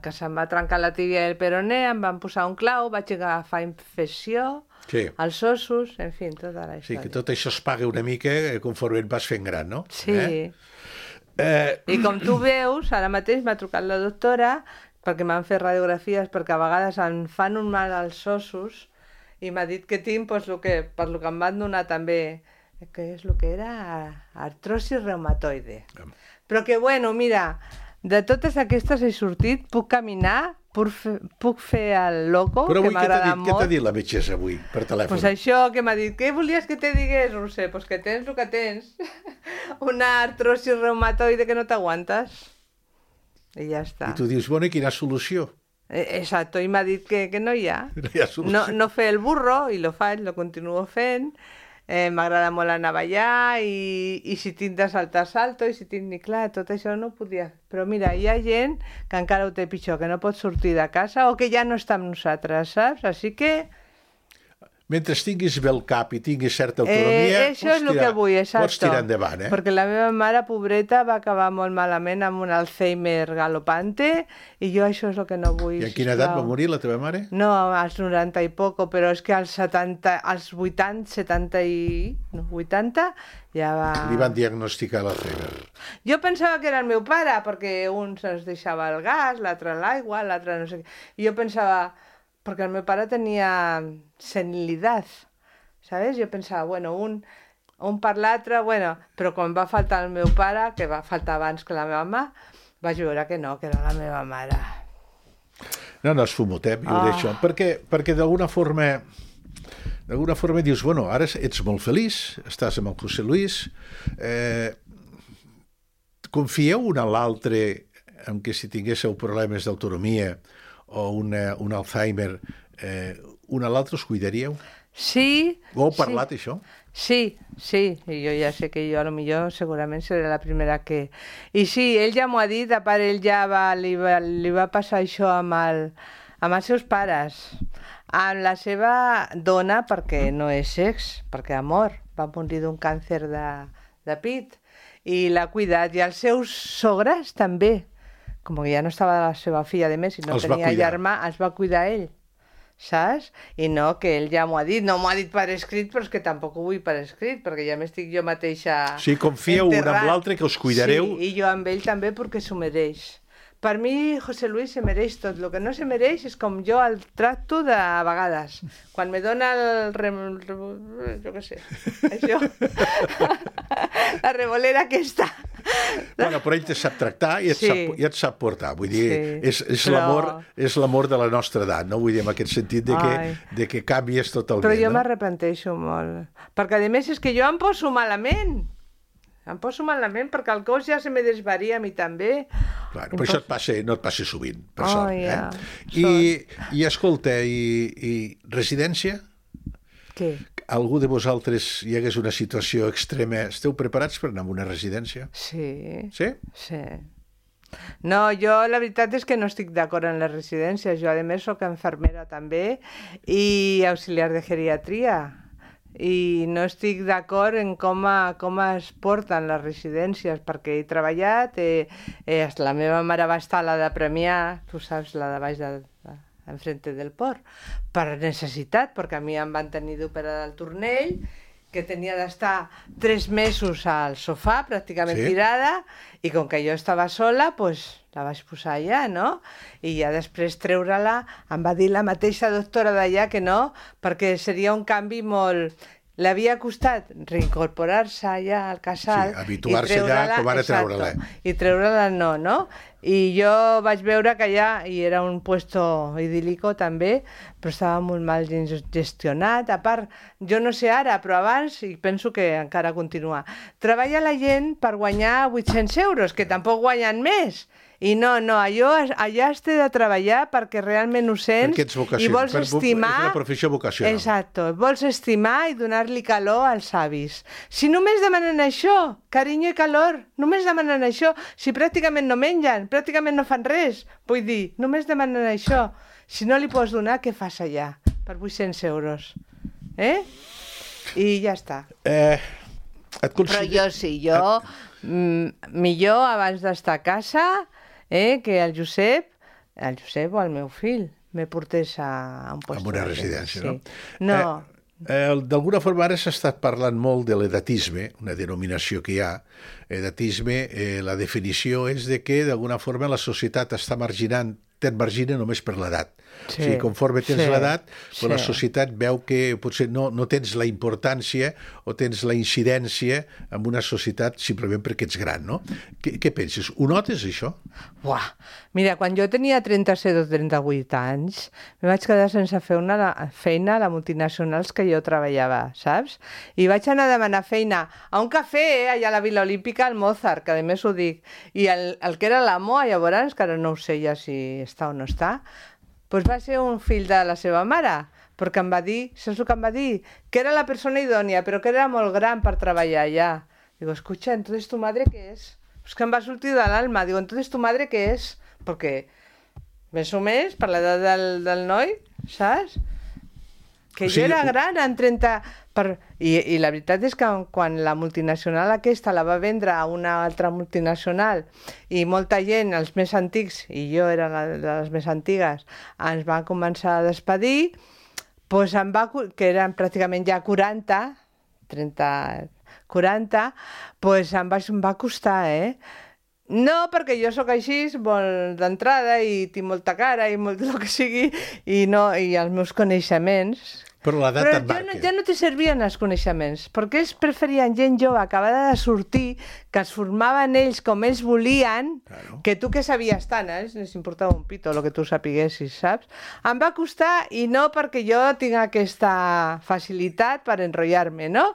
que se'm va trencar la tíbia i el peroné, em van posar un clau, vaig agafar infecció, els ossos, en fi, tota la història. Sí, que tot això es paga una mica conforme et vas fent gran, no? Sí. I com tu veus, ara mateix m'ha trucat la doctora perquè m'han fet radiografies, perquè a vegades em fan un mal als ossos i m'ha dit que tinc per lo que em van donar també, que és el que era artrosi reumatoide. Però que, bueno, mira, de totes aquestes he sortit, puc caminar, puc fer el loco, que m'agrada molt. Però avui què t'ha dit la metgessa avui, per telèfon? Pues això, que m'ha dit, què volies que te digués? No sé, pues que tens el que tens. Una artrosi reumatoide que no t'aguantes. I ja està. I tu dius, bueno, i quina solució? Exacto, i m'ha dit que no hi ha. No hi ha solució. No fer el burro, i lo faig, lo continuo fent. M'agrada molt anar a ballar, i si tinc de saltar, salto, i si tinc ni clar, tot això no ho podia. Però mira, hi ha gent que encara ho té pitjor, que no pot sortir de casa o que ja no està amb nosaltres, saps? Així que... Mentre tinguis bé el cap i tinguis certa autonomia, pots tirar endavant. Perquè la meva mare, pobreta, va acabar molt malament amb un Alzheimer galopante i jo això és el que no vull. I en quina edat va morir la teva mare? No, als 90 i poco, però és que als 80 ja va... Li van diagnosticar l'Alzheimer. Jo pensava que era el meu pare, perquè un se'ns deixava el gas, l'altre l'aigua, l'altre no sé què. I jo pensava... Perquè el meu pare tenia senilitat, ¿sabes? Jo pensava, bueno, un per l'altre, bueno, però quan va faltar el meu pare, que va faltar abans que la meva mama, vaig veure que no, que era la meva mare. No, és fumotem, jo ho deixo. Perquè d'alguna forma dius, bueno, ara ets molt feliç, estàs amb el José Luis, confieu un a l'altre en que si tinguéssiu problemes d'autonomia o un Alzheimer, un a l'altre us cuidaríeu? Sí. Ho heu parlat, això? Sí, i jo ja sé que jo a lo millor segurament seré la primera que... I sí, ell ja m'ho ha dit, a part ell ja li va passar això amb els seus pares. amb la seva dona, perquè no és sex, perquè amor, va morir d'un càncer de pit, i l'ha cuidat. I els seus sogres també, com que ja no estava la seva filla, a més, i no tenia germà, els va cuidar ell, saps? I no, que ell ja m'ho ha dit, no m'ho ha dit per escrit, però és que tampoc ho vull per escrit, perquè ja m'estic jo mateixa Sí, confieu un amb l'altre, que us cuidareu. Sí, i jo amb ell també, perquè s'ho mereix. Per mi, José Luis se mereix tot. El que no se mereix és com jo el tracto de vegades. Quan me dona jo què sé, això, la revolera aquesta. Bueno, però ell te sap tractar i et sap portar. Vull dir, és l'amor de la nostra edat, no? Vull dir, en aquest sentit de que canvies totalment. Però jo m'arrepenteixo molt. Perquè, a més, és que jo em poso malament. Em poso malament perquè el cos ja se me desvaria a mi també. Clar, però això no et passa sovint, per sort. I escolta, i residència? Què? Algú de vosaltres hi hagués una situació extrema, esteu preparats per anar a una residència? Sí. Sí? Sí. No, jo la veritat és que no estic d'acord en les residències. Jo, a més, soc infermera també i auxiliar de geriatria. I no estic d'acord en com es porten les residències, perquè he treballat, la meva mare va estar a la de Premià, tu saps, la de baix enfrente del port, per necessitat, perquè a mi em van tenir d'operar del turnell, que tenia d'estar 3 mesos al sofà, pràcticament tirada, i com que jo estava sola, doncs la vaig posar allà, no? I ja després treure-la, em va dir la mateixa doctora d'allà que no, perquè seria un canvi molt... L'havia costat reincorporar-se allà al casal... Sí, habituar-se allà com ara treure-la. I treure-la no? I jo vaig veure que allà, i era un puesto idíl·lico també, però estava molt mal gestionat. A part, jo no sé ara, però abans, i penso que encara continua, treballa la gent per guanyar 800 euros, que tampoc guanyen més. I no, allà has de treballar perquè realment ho sents i vols estimar... És una professió vocacional. Exacte, vols estimar i donar-li calor als avis. Si només demanen això, carinyo i calor, només demanen això, si pràcticament no mengen, pràcticament no fan res, vull dir, només demanen això. Si no li pots donar, què fas allà? Per 800 euros. I ja està. Però jo sí, millor abans d'estar a casa... que el Josep o el meu fill me portés a un lloc. A una residència, sí. No? D'alguna forma ara s'ha estat parlant molt de l'edatisme, una denominació que hi ha. Edatisme, la definició és de que d'alguna forma la societat està te't margina només per l'edat. O sigui, conforme tens l'edat, la societat veu que potser no tens la importància o tens la incidència en una societat simplement perquè ets gran, no? Què penses? Ho notes, això? Uah! Mira, quan jo tenia 37 o 38 anys, me vaig quedar sense fer una feina a les multinacionals que jo treballava, saps? I vaig anar a demanar feina a un cafè, allà a la Vila Olímpica, al Mozart, que a més ho dic, i el que era l'amo, llavors, que ara no ho sé ja si està o no està, doncs va ser un fill de la seva mare, perquè em va dir, saps el que em va dir? Que era la persona idònia, però que era molt gran per treballar allà. Digo, escucha, entonces tu madre què és? És que em va sortir de l'alma. Digo, entonces tu madre què és? Perquè, més o més, per l'edat del noi, saps? Que jo era gran en 30... I la veritat és que quan la multinacional aquesta la va vendre a una altra multinacional i molta gent, els més antics, i jo era de les més antigues, ens van començar a despedir, doncs que eren pràcticament ja 40, doncs em va costar, No, perquè jo sóc així, molt d'entrada, i tinc molta cara, i molt el que sigui, i els meus coneixements... Però l'edat et marca. Ja no te servien els coneixements, perquè ells preferien gent jove acabada de sortir, que es formaven ells com ells volien, que tu que sabies tant, les importava un pito el que tu sapiguessis, saps? Em va costar, i no perquè jo tinc aquesta facilitat per enrotllar-me, no?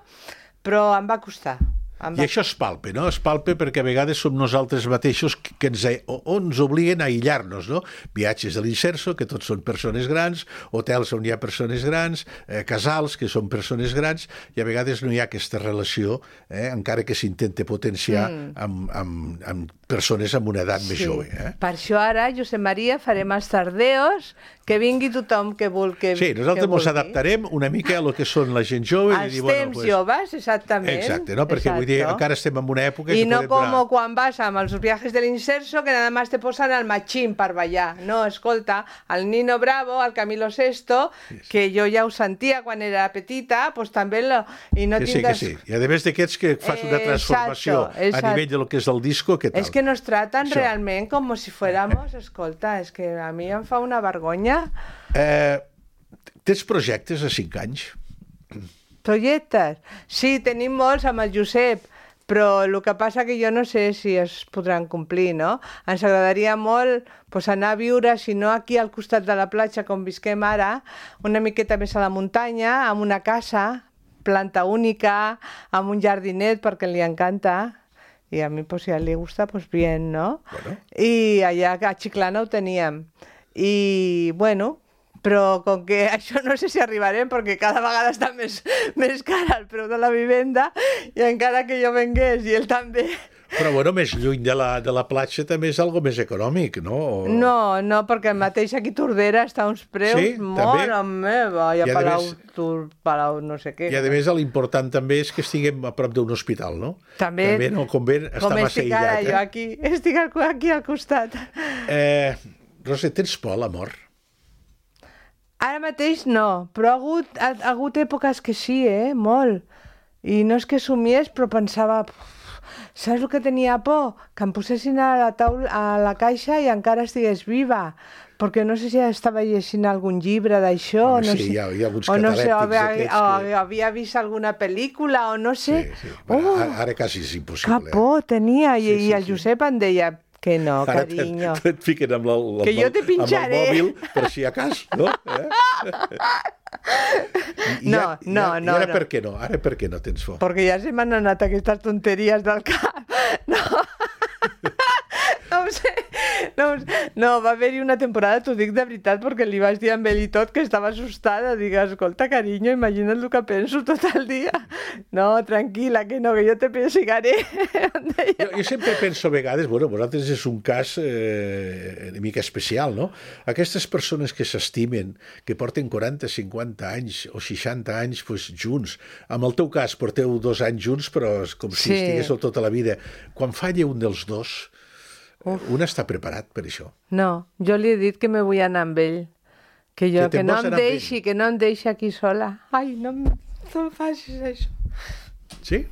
Però em va costar. I això es palpa, no? Es palpa perquè a vegades som nosaltres mateixos que ens obliguen a aïllar-nos, no? Viatges de l'Inserso, que tots són persones grans, hotels on hi ha persones grans, casals, que són persones grans, i a vegades no hi ha aquesta relació, encara que s'intenta potenciar amb persones amb una edat més jove. Per això ara, Josep Maria, farem els tardeos, que vingui tothom que vulgui. Sí, nosaltres ens adaptarem una mica a lo que són la gent jove. Els temps joves, exactament. Exacte, no? Perquè vull dir, encara estem en una època... I no com quan vas amb els viajes de l'Inserso, que nada más te posan al machín per ballar. No, escolta, el Nino Bravo, el Camilo Sesto, que jo ja ho sentia quan era petita, pues també... I no que sí. I a més d'aquests que fas una transformació a nivell de lo que és el disco, què tal? És que nos tratan realment com si fuéramos... Escolta, és que a mi em fa una vergonya. Tens projectes a 5 anys? Projectes? Sí, tenim molts amb el Josep, però el que passa que jo no sé si es podran complir, no? Ens agradaria molt anar a viure, si no aquí al costat de la platja, com visquem ara, una miqueta més a la muntanya, amb una casa, planta única, amb un jardinet, perquè li encanta. Y a mí, pues si a él le gusta, pues bien, ¿no? Bueno. Y allá a Chiclana ho teníem. I, bueno, però com que això no sé si arribarem, perquè cada vegada està més cara el preu de la vivenda, i encara que jo vengués i ell també... Però, bueno, més lluny de la platja també és algo més econòmic, no? No, perquè el mateix aquí Tordera està a uns preus mare meva, i a Palau no sé què. I a més l'important també és que estiguem a prop d'un hospital, no? També no convé estar massa aïllat. Com estic ara jo aquí, estic aquí al costat. Rosa, tens por a la mort? Ara mateix no, però ha hagut èpoques que sí, molt. I no és que somiés, però pensava... Saps el que tenia por? Que em posessin a la caixa i encara estigués viva, perquè no sé si estava llegint algun llibre d'això, sí, hi ha alguns catalèptics d'aquests o havia vist alguna pel·lícula, o no sé. Sí. Ara quasi és impossible. Que por tenia, i el Josep em deia que no, carinyo. Ara et fiquen amb el mòbil, per si a cas, no? No. I ara per què no? Ara per què no tens por? Perquè ja se m'han anat aquestes tonteries del cap. No ho sé. No, va haver-hi una temporada, t'ho dic de veritat, perquè li vaig dir a ell i tot que estava assustada. Dic, escolta, carinyo, imagina't el que penso tot el dia. No, tranquil·la, que no, que jo te perseguiré. Jo sempre penso a vegades, bueno, vosaltres és un cas una mica especial, no? Aquestes persones que s'estimen, que porten 40, 50 anys o 60 anys pues, junts, en el teu cas porteu 2 anys junts, però és com si estiguéssiu tota la vida. Quan falla un dels dos, un està preparat per això. No, jo li he dit que me vull anar amb ell. Que no em deixi aquí sola. Ai, no em facis això. Sí?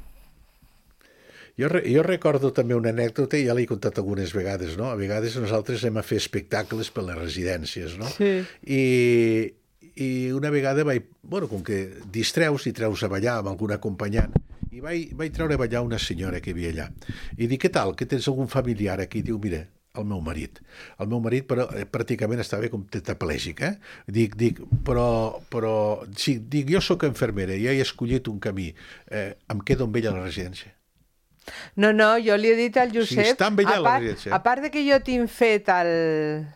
Jo recordo també una anècdota, i ja l'he contat algunes vegades, no? A vegades nosaltres anem a fer espectacles per les residències, no? Sí. I una vegada com que distreus i treus a ballar amb algun acompanyant, i vaig treure a ballar una senyora que hi havia allà. I dic, què tal, que tens algun familiar aquí? I diu, mira, el meu marit. El meu marit, però pràcticament estava com tetraplègic, Dic, jo sóc infermera, ja he escollit un camí. Em quedo amb ella a la residència. No, jo li he dit al Josep... Sí, està amb ella a la residència. A part de que jo tinc fet el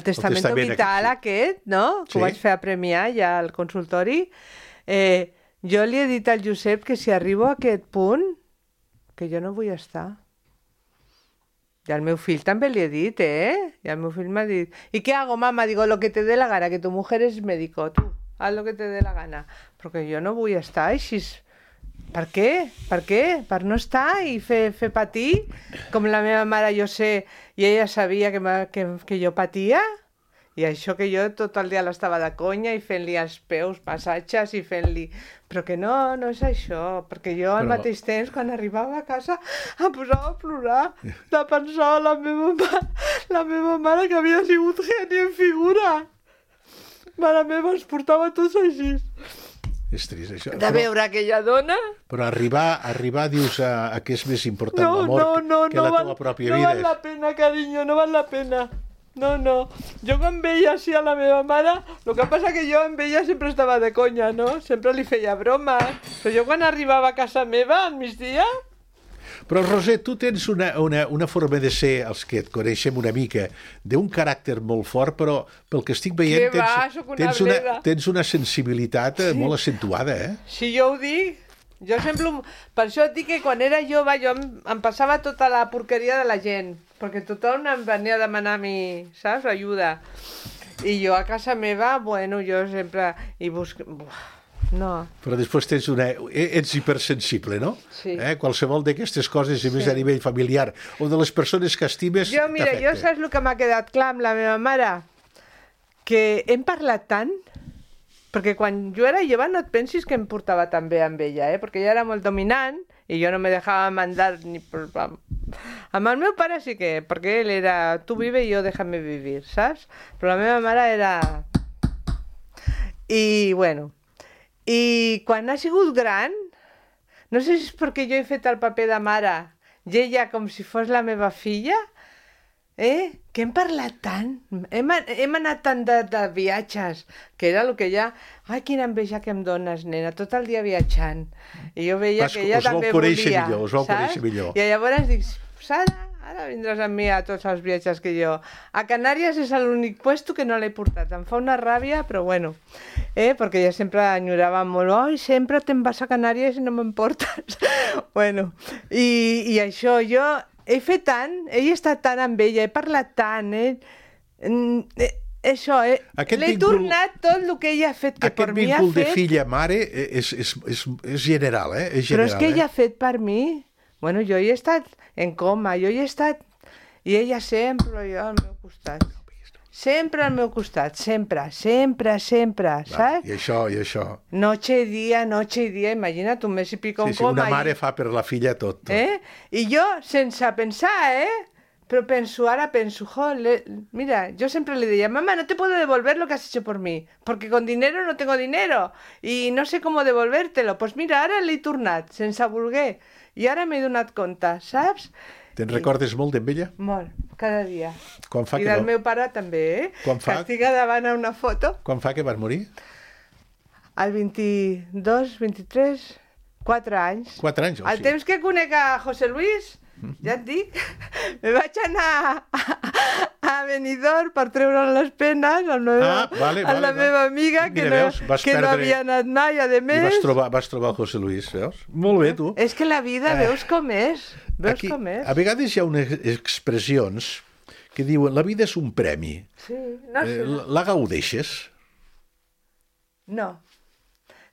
testament vital aquest, no? Que ho vaig fer a premiar ja al consultori, jo li he dit al Josep que si arribo a aquest punt, que jo no vull estar. I al meu fill també li he dit, I el meu fill m'ha dit, ¿y qué hago, mamá? Digo, lo que te dé la gana, que tu mujer es médico, tú, haz lo que te dé la gana. Perquè jo no vull estar així. Per què? Per no estar i fer patir? Com la meva mare, jo sé, i ella sabia que jo patia? I això que jo tot el dia l'estava de conya i fent-li els peus, massatges i fent-li... Però que no és això, perquè jo al mateix temps, quan arribava a casa, em posava a plorar de pensar la meva mare que havia sigut geni en figura. Mare meva, es portava tots així. És trist, això. De veure aquella dona... Però arribar dius a què és més important l'amor que la teva pròpia vida. No val la pena, carinyo, no val la pena. No. Jo quan veia així a la meva mare, el que passa que jo amb ella sempre estava de conya, no? Sempre li feia bromes. Però jo quan arribava a casa meva al migdia, Però, Roser, tu tens una forma de ser, els que et coneixem una mica, d'un caràcter molt fort, però pel que estic veient Que va, sóc una bleda. tens una sensibilitat molt acentuada, eh? Si jo ho dic, jo sempre... Per això et dic que quan era jove jo em passava tota la porqueria de la gent, perquè tothom em venia a demanar a mi, saps, ajuda. I jo a casa meva, bueno, jo sempre... No. Però després ets hipersensible, no? Sí. Qualsevol d'aquestes coses, i més a nivell familiar, o de les persones que estimes, jo, mira, t'afecta. jo saps el que m'ha quedat clar amb la meva mare? Que hem parlat tant, perquè quan jo era jove no et pensis que em portava tan bé amb ella, perquè ella era molt dominant i jo no me dejava mandar ni per... Amb el meu pare sí que, perquè ell era tu vive i jo déjame vivir, saps? Però la meva mare era... I, bueno... I quan ha sigut gran, no sé si és perquè jo he fet el paper de mare i ella com si fos la meva filla, que hem parlat tant, hem anat tant de viatges, que era el que ella... Ai, quina enveja que em dones, nena, tot el dia viatjant. I jo veia que ella també volia, us vau conèixer millor. I llavors dic, Sara, ara vindràs amb mi a tots els viatges que jo... A Canàries és l'únic puesto que no l'he portat. Em fa una ràbia, però bueno, perquè ella sempre enyorava molt, oi, sempre te'n vas a Canàries i no me'n portes. Bueno, i això, jo he fet tant, he estat tant amb ella, he parlat tant, això, l'he tornat tot el que ella ha fet, que per mi ha fet... Aquest vincul de filla-mare és general, És general, però és que ella ha fet per mi... Bueno, jo hi he estat en coma, jo hi he estat... I ella sempre, jo al meu costat. Sempre al meu costat, sempre, saps? I això. Noche y día, imagina't, un mes i pico en coma. Una mare fa per la filla tot. I jo, sense pensar, però ara penso, mira, yo siempre le decía, mamá, no te puedo devolver lo que has hecho por mí, porque con dinero no tengo dinero, y no sé cómo devolvértelo. Pues mira, ara l'he tornat, sense voler, i ara m'he donat compte, saps? Te'n recordes molt d'en ella? Molt, cada dia. I del meu pare també, que estic davant a una foto. Quan fa que van morir? El 22, 23, 4 anys. 4 anys, El temps que conec a José Luis, ja et dic, me vaig anar a Benidorm per treure les penes a la meva amiga, que no havia anat mai, a més. I vas trobar el José Luis, veus? Molt bé, tu. És que la vida, veus com és? A vegades hi ha unes expressions que diuen la vida és un premi. Sí, no sé. La gaudeixes? No.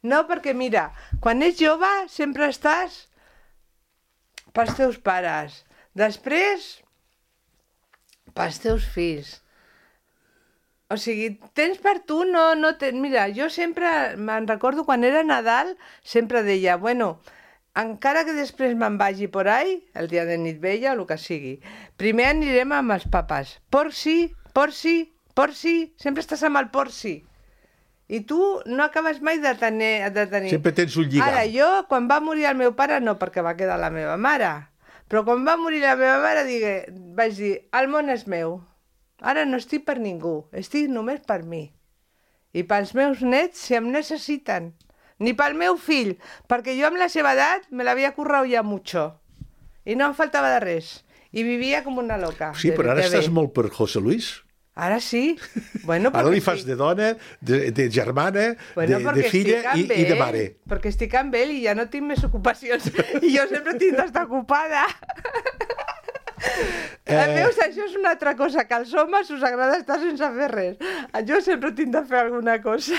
No, perquè mira, quan ets jove sempre estàs pels teus pares. Després, pels teus fills. O sigui, tens per tu, no tens... Mira, jo sempre, me'n recordo quan era Nadal, sempre deia, bueno, encara que després me'n vagi por ahí, el dia de nit vella o el que sigui, primer anirem amb els papes. Por sí, sempre estàs amb el por sí. I tu no acabes mai de tenir... Sempre tens un lligam. Ara, jo, quan va morir el meu pare, no, perquè va quedar la meva mare, però quan va morir la meva mare vaig dir, el món és meu. Ara no estic per ningú, estic només per mi. I pels meus nets, si em necessiten. Ni pel meu fill, perquè jo amb la seva edat me l'havia currado ya mucho. I no em faltava de res. I vivia com una loca. Sí, però ara estàs molt per José Luis. Ara sí. Bueno, ara li fas de dona, de germana, de filla i de mare. Perquè estic amb ell i ja no tinc més ocupacions. I jo sempre tinc d'estar ocupada. Veus, això és una altra cosa, que als homes us agrada estar sense fer res. Jo sempre tinc de fer alguna cosa.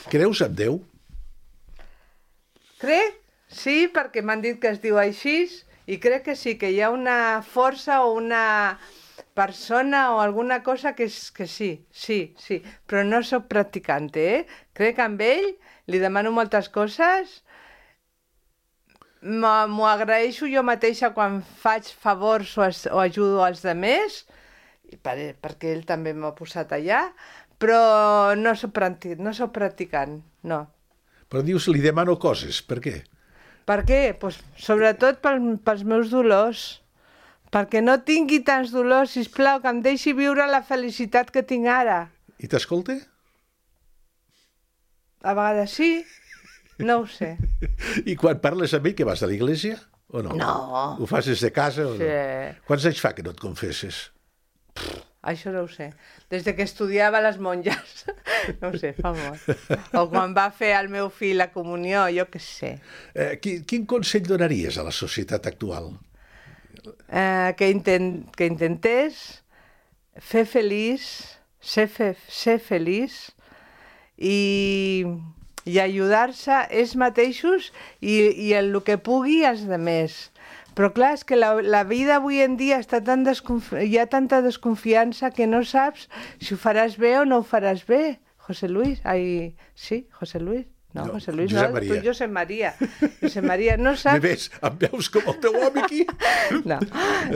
Creus en Déu? Crec, sí, perquè m'han dit que es diu així, i crec que sí, que hi ha una força o una persona o alguna cosa que sí, però no sóc practicant, Crec en ell, li demano moltes coses, m'ho agraeixo jo mateixa quan faig favors o ajudo als altres, perquè ell també m'ha posat allà, però no sóc practicant, no. Però dius, li demano coses, per què? Per què? Pues, sobretot pels meus dolors, perquè no tingui tants dolors, sisplau, que em deixi viure la felicitat que tinc ara. I t'escolta? A vegades sí, no ho sé. I quan parles amb ell, que vas a l'església? O no? No. Ho fas des de casa o Sí. no? Quants anys fa que no et confesses? Això no ho sé. Des de que estudiava a les monges. No ho sé, fa molt. O quan va fer el meu fill la comunió, jo què sé. Quin consell donaries a la societat actual? Que intentés fer feliç, ser feliç i ajudar-se ells mateixos i en el que pugui els altres. Però clar, és que la vida avui en dia està hi ha tanta desconfiança que no saps si ho faràs bé o no ho faràs bé. José Luis, sí, José Luis. No, José Luis, Josep no, Maria. tu Josep Maria. Josep Maria, no saps... Me ves, em veus com el teu home aquí?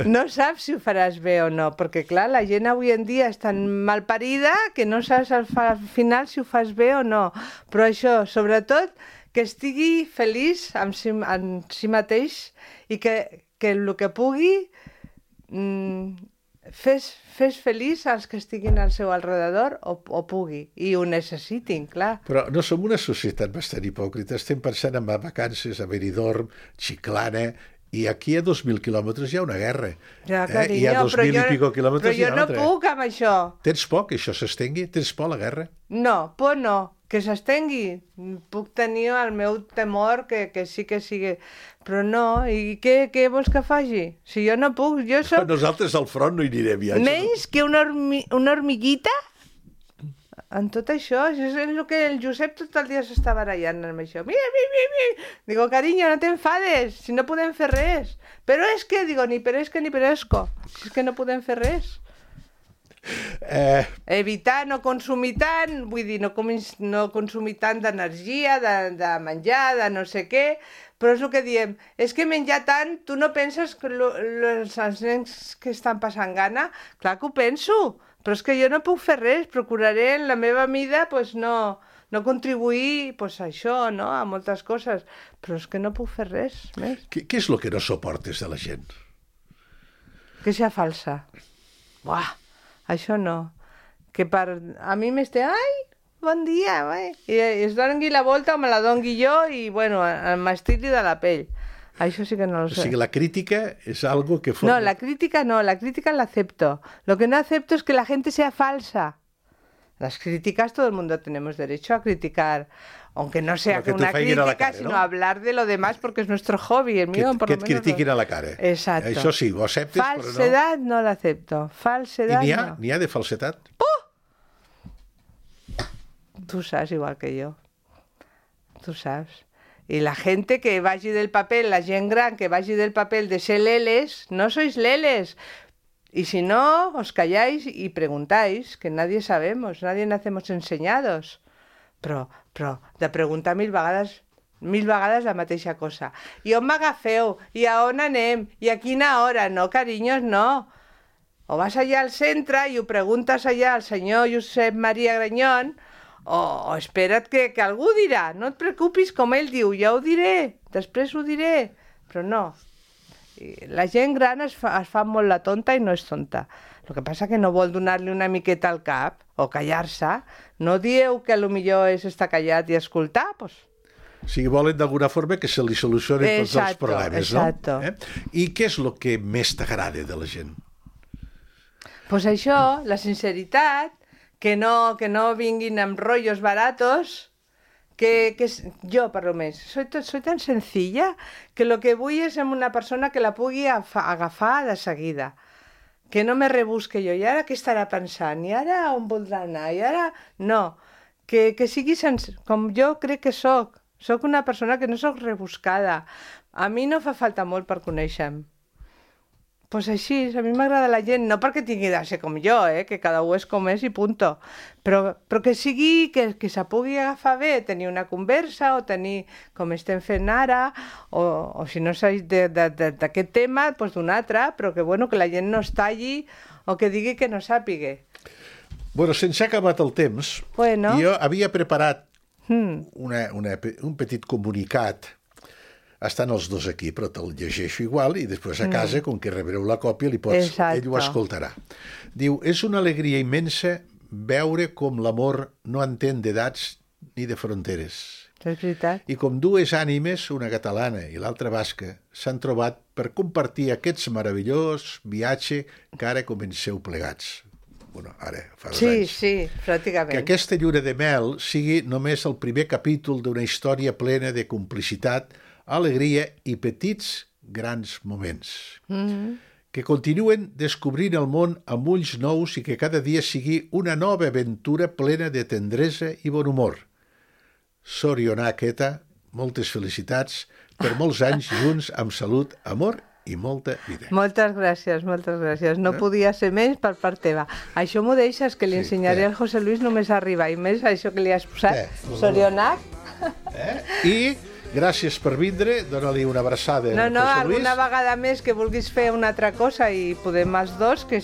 No saps si ho faràs bé o no, perquè clar, la gent avui en dia és tan malparida que no saps al final si ho fas bé o no. Però això, sobretot, que estigui feliç en si mateix i que el que pugui fes feliç als que estiguin al seu alrededor o pugui, i ho necessitin, clar. Però no som una societat bastant hipòcrita. Estem pensant en vacances a Benidorm, Chiclana, i aquí a 2.000 quilòmetres hi ha una guerra. Ja, carinyo, I a 2.000 i pico quilòmetres hi ha però jo altra. no puc amb això. Tens por que això s'estengui? Tens por a la guerra? No, por no. Que s'estengui. Puc tenir el meu temor que sí que sigui... Però no, i què vols que faci? Si jo no puc, jo soc... Nosaltres al front no hi anirem ja. Menys que una hormiguita en tot això. Això és el que el Josep tot el dia s'està barallant amb això. Mira. Digo, carinyo, no t'enfades, si no podem fer res. Però és que, digo, ni peresca ni peresco. Si és que no podem fer res. Evitar no consumir tant, vull dir, no consumir tant d'energia, de menjar, de no sé què, però és el que diem, és que menjar tant, tu no penses que els nens que estan passant gana? Clar que ho penso, però és que jo no puc fer res, procuraré en la meva mida pues, no contribuir pues, a això, no? A moltes coses, però és que no puc fer res més. Què és el que no suportes de la gent? Que sea falsa. Buah! Això no. Que a mi m'esté, ai, bon dia, i es doni la volta o me la doni jo i, bueno, m'estiri de la pell. Això sí que no lo sé. O sigui, la crítica és algo que... No, la crítica la acepto. Lo que no acepto es que la gente sea falsa. Las críticas, todo el mundo tenemos derecho a criticar, aunque no sea una crítica, cara, sino ¿no? Hablar de lo demás porque es nuestro hobby, el mío por lo menos. Que et critiquin a la cara. Exacto. Això sí, ho acceptes, Falsedad no la acepto. Falsedad I no. n'hi ha de falsedat? Tú sabes igual que yo. Tú sabes. Y la gente que vagi del papel, la gent gran que vagi del papel de ser leles, no sois leles. Y si no, os calláis y preguntáis, que nadie sabemos, nadie nacemos enseñados. Però de preguntar mil vegades la mateixa cosa. I on m'agafeu? I a on anem? I a quina hora? No, carinyos, no. O vas allà al centre i ho preguntes allà al senyor Josep Maria Granyón, o espera't que algú dirà. No et preocupis, com ell diu, ja ho diré, després ho diré. Però no. La gent gran es fa molt la tonta i no és tonta. El que passa que no vol donar-li una miqueta al cap o callar-se. No dieu que potser és estar callat i escoltar, doncs... O sigui, volen d'alguna forma que se li solucionin tots els problemes, exacto. No? I què és el que més t'agrada de la gent? Doncs això, la sinceritat, que no vinguin amb rotllos baratos, que jo, per lo més, soy tan sencilla que lo que vull és una persona que la pugui agafar de seguida, que no me rebusque jo, i ara què estarà pensant, i ara on voldrà anar, i ara... No, que sigui com jo crec que soc una persona que no soc rebuscada, a mi no fa falta molt per conèixer-me. Pues així, a mi m'agrada la gent, no perquè tingui de ser com jo, que cada un és com és i punto, però que sigui, que se pugui agafar bé, tenir una conversa o tenir, com estem fent ara, o si no és d'aquest tema, doncs d'un altre, però que la gent no es talli o que digui que no sàpiga. Bueno, sense acabat el temps, jo havia preparat un petit comunicat. Estan els dos aquí, però te'l llegeixo igual i després a casa, com que rebreu la còpia, ell ho escoltarà. Diu, és una alegria immensa veure com l'amor no entén d'edats ni de fronteres. És veritat. I com dues ànimes, una catalana i l'altra basca, s'han trobat per compartir aquests meravellós viatge que ara comenceu plegats. Bueno, ara, fa 2 anys. Sí, pràcticament. Que aquesta lluna de mel sigui només el primer capítol d'una història plena de complicitat, alegria i petits grans moments. Que continuen descobrint el món amb ulls nous i que cada dia sigui una nova aventura plena de tendresa i bon humor. Sorionak, Eta, moltes felicitats per molts anys junts amb salut, amor i molta vida. Moltes gràcies, moltes gràcies. No podia ser menys per part teva. Això m'ho deixes, que li ensenyaré al José Luis només arribar, i més això que li has posat. Sorionak. I gràcies per vindre, dona-li una abraçada No, al José Luis. alguna vegada més que vulguis fer una altra cosa i podem els dos, que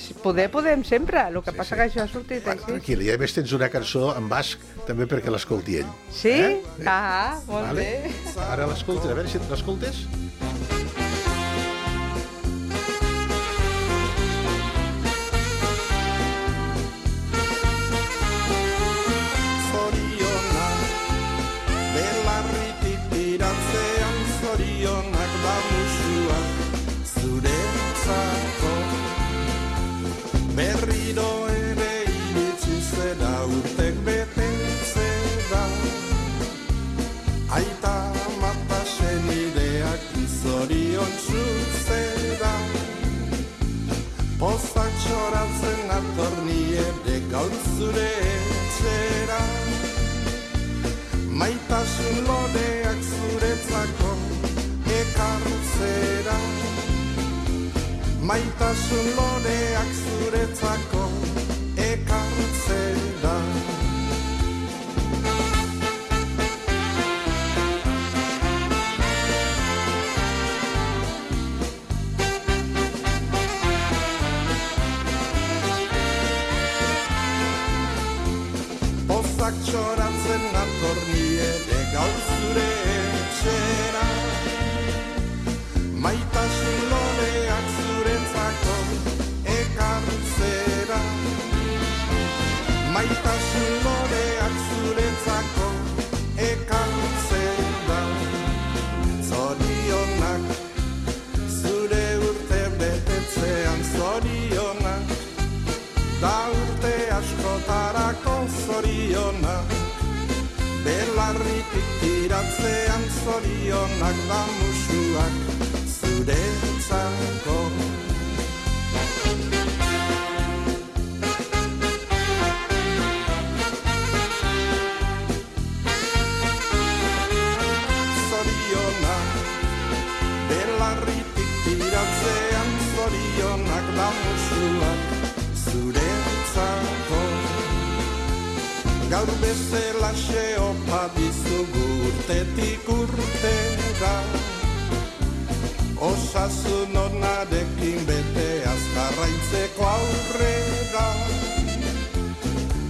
podem sempre. El que passa que això ha sortit així. Tranquil, i a més tens una cançó en basc també perquè l'escolti ell. Sí? Ah, molt bé. Ara l'escoltes, a veure si l'escoltes. Berriro ere iritsi zera urtek betetzen da. Aita mata senideak zoriontsu zera. Pozak txoratzen ator ni ere gaur zure etxera. Maitasun loreak zuretzako ekartzera. Maitasun loreak zuretzako ekartzera. Pozak txoratzen ator ni ere gaur zure etxera. Maitasun loreak zuretzako ekartzera. Maitasun loreak zuretzako ekartzera. Zorionak zure urte betetzean zorionak. Da urte askotarako zorionak. Belarritik tiratzean zorionak da musuak zuretzako. Zorionak, belarritik tiratzean zorionak da musuak zuretzako. Gaur bezalaxe opa dizugu urtetik urtera. Osasun onarekin bete azkarraitzeko aurrera.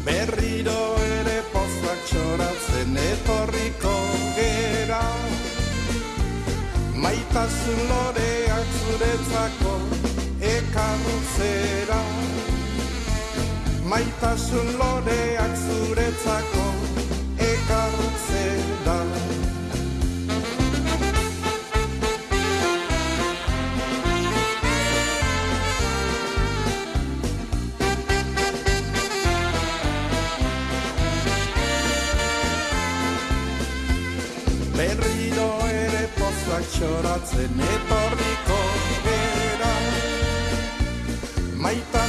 Berriro ere pozak txoratzen etorriko gera. Maitasun loreak zuretzako ekartzera. Maitasun loreak zuretzako ekartzera. Berriro ere pozak txoratzen etorriko gera. Maita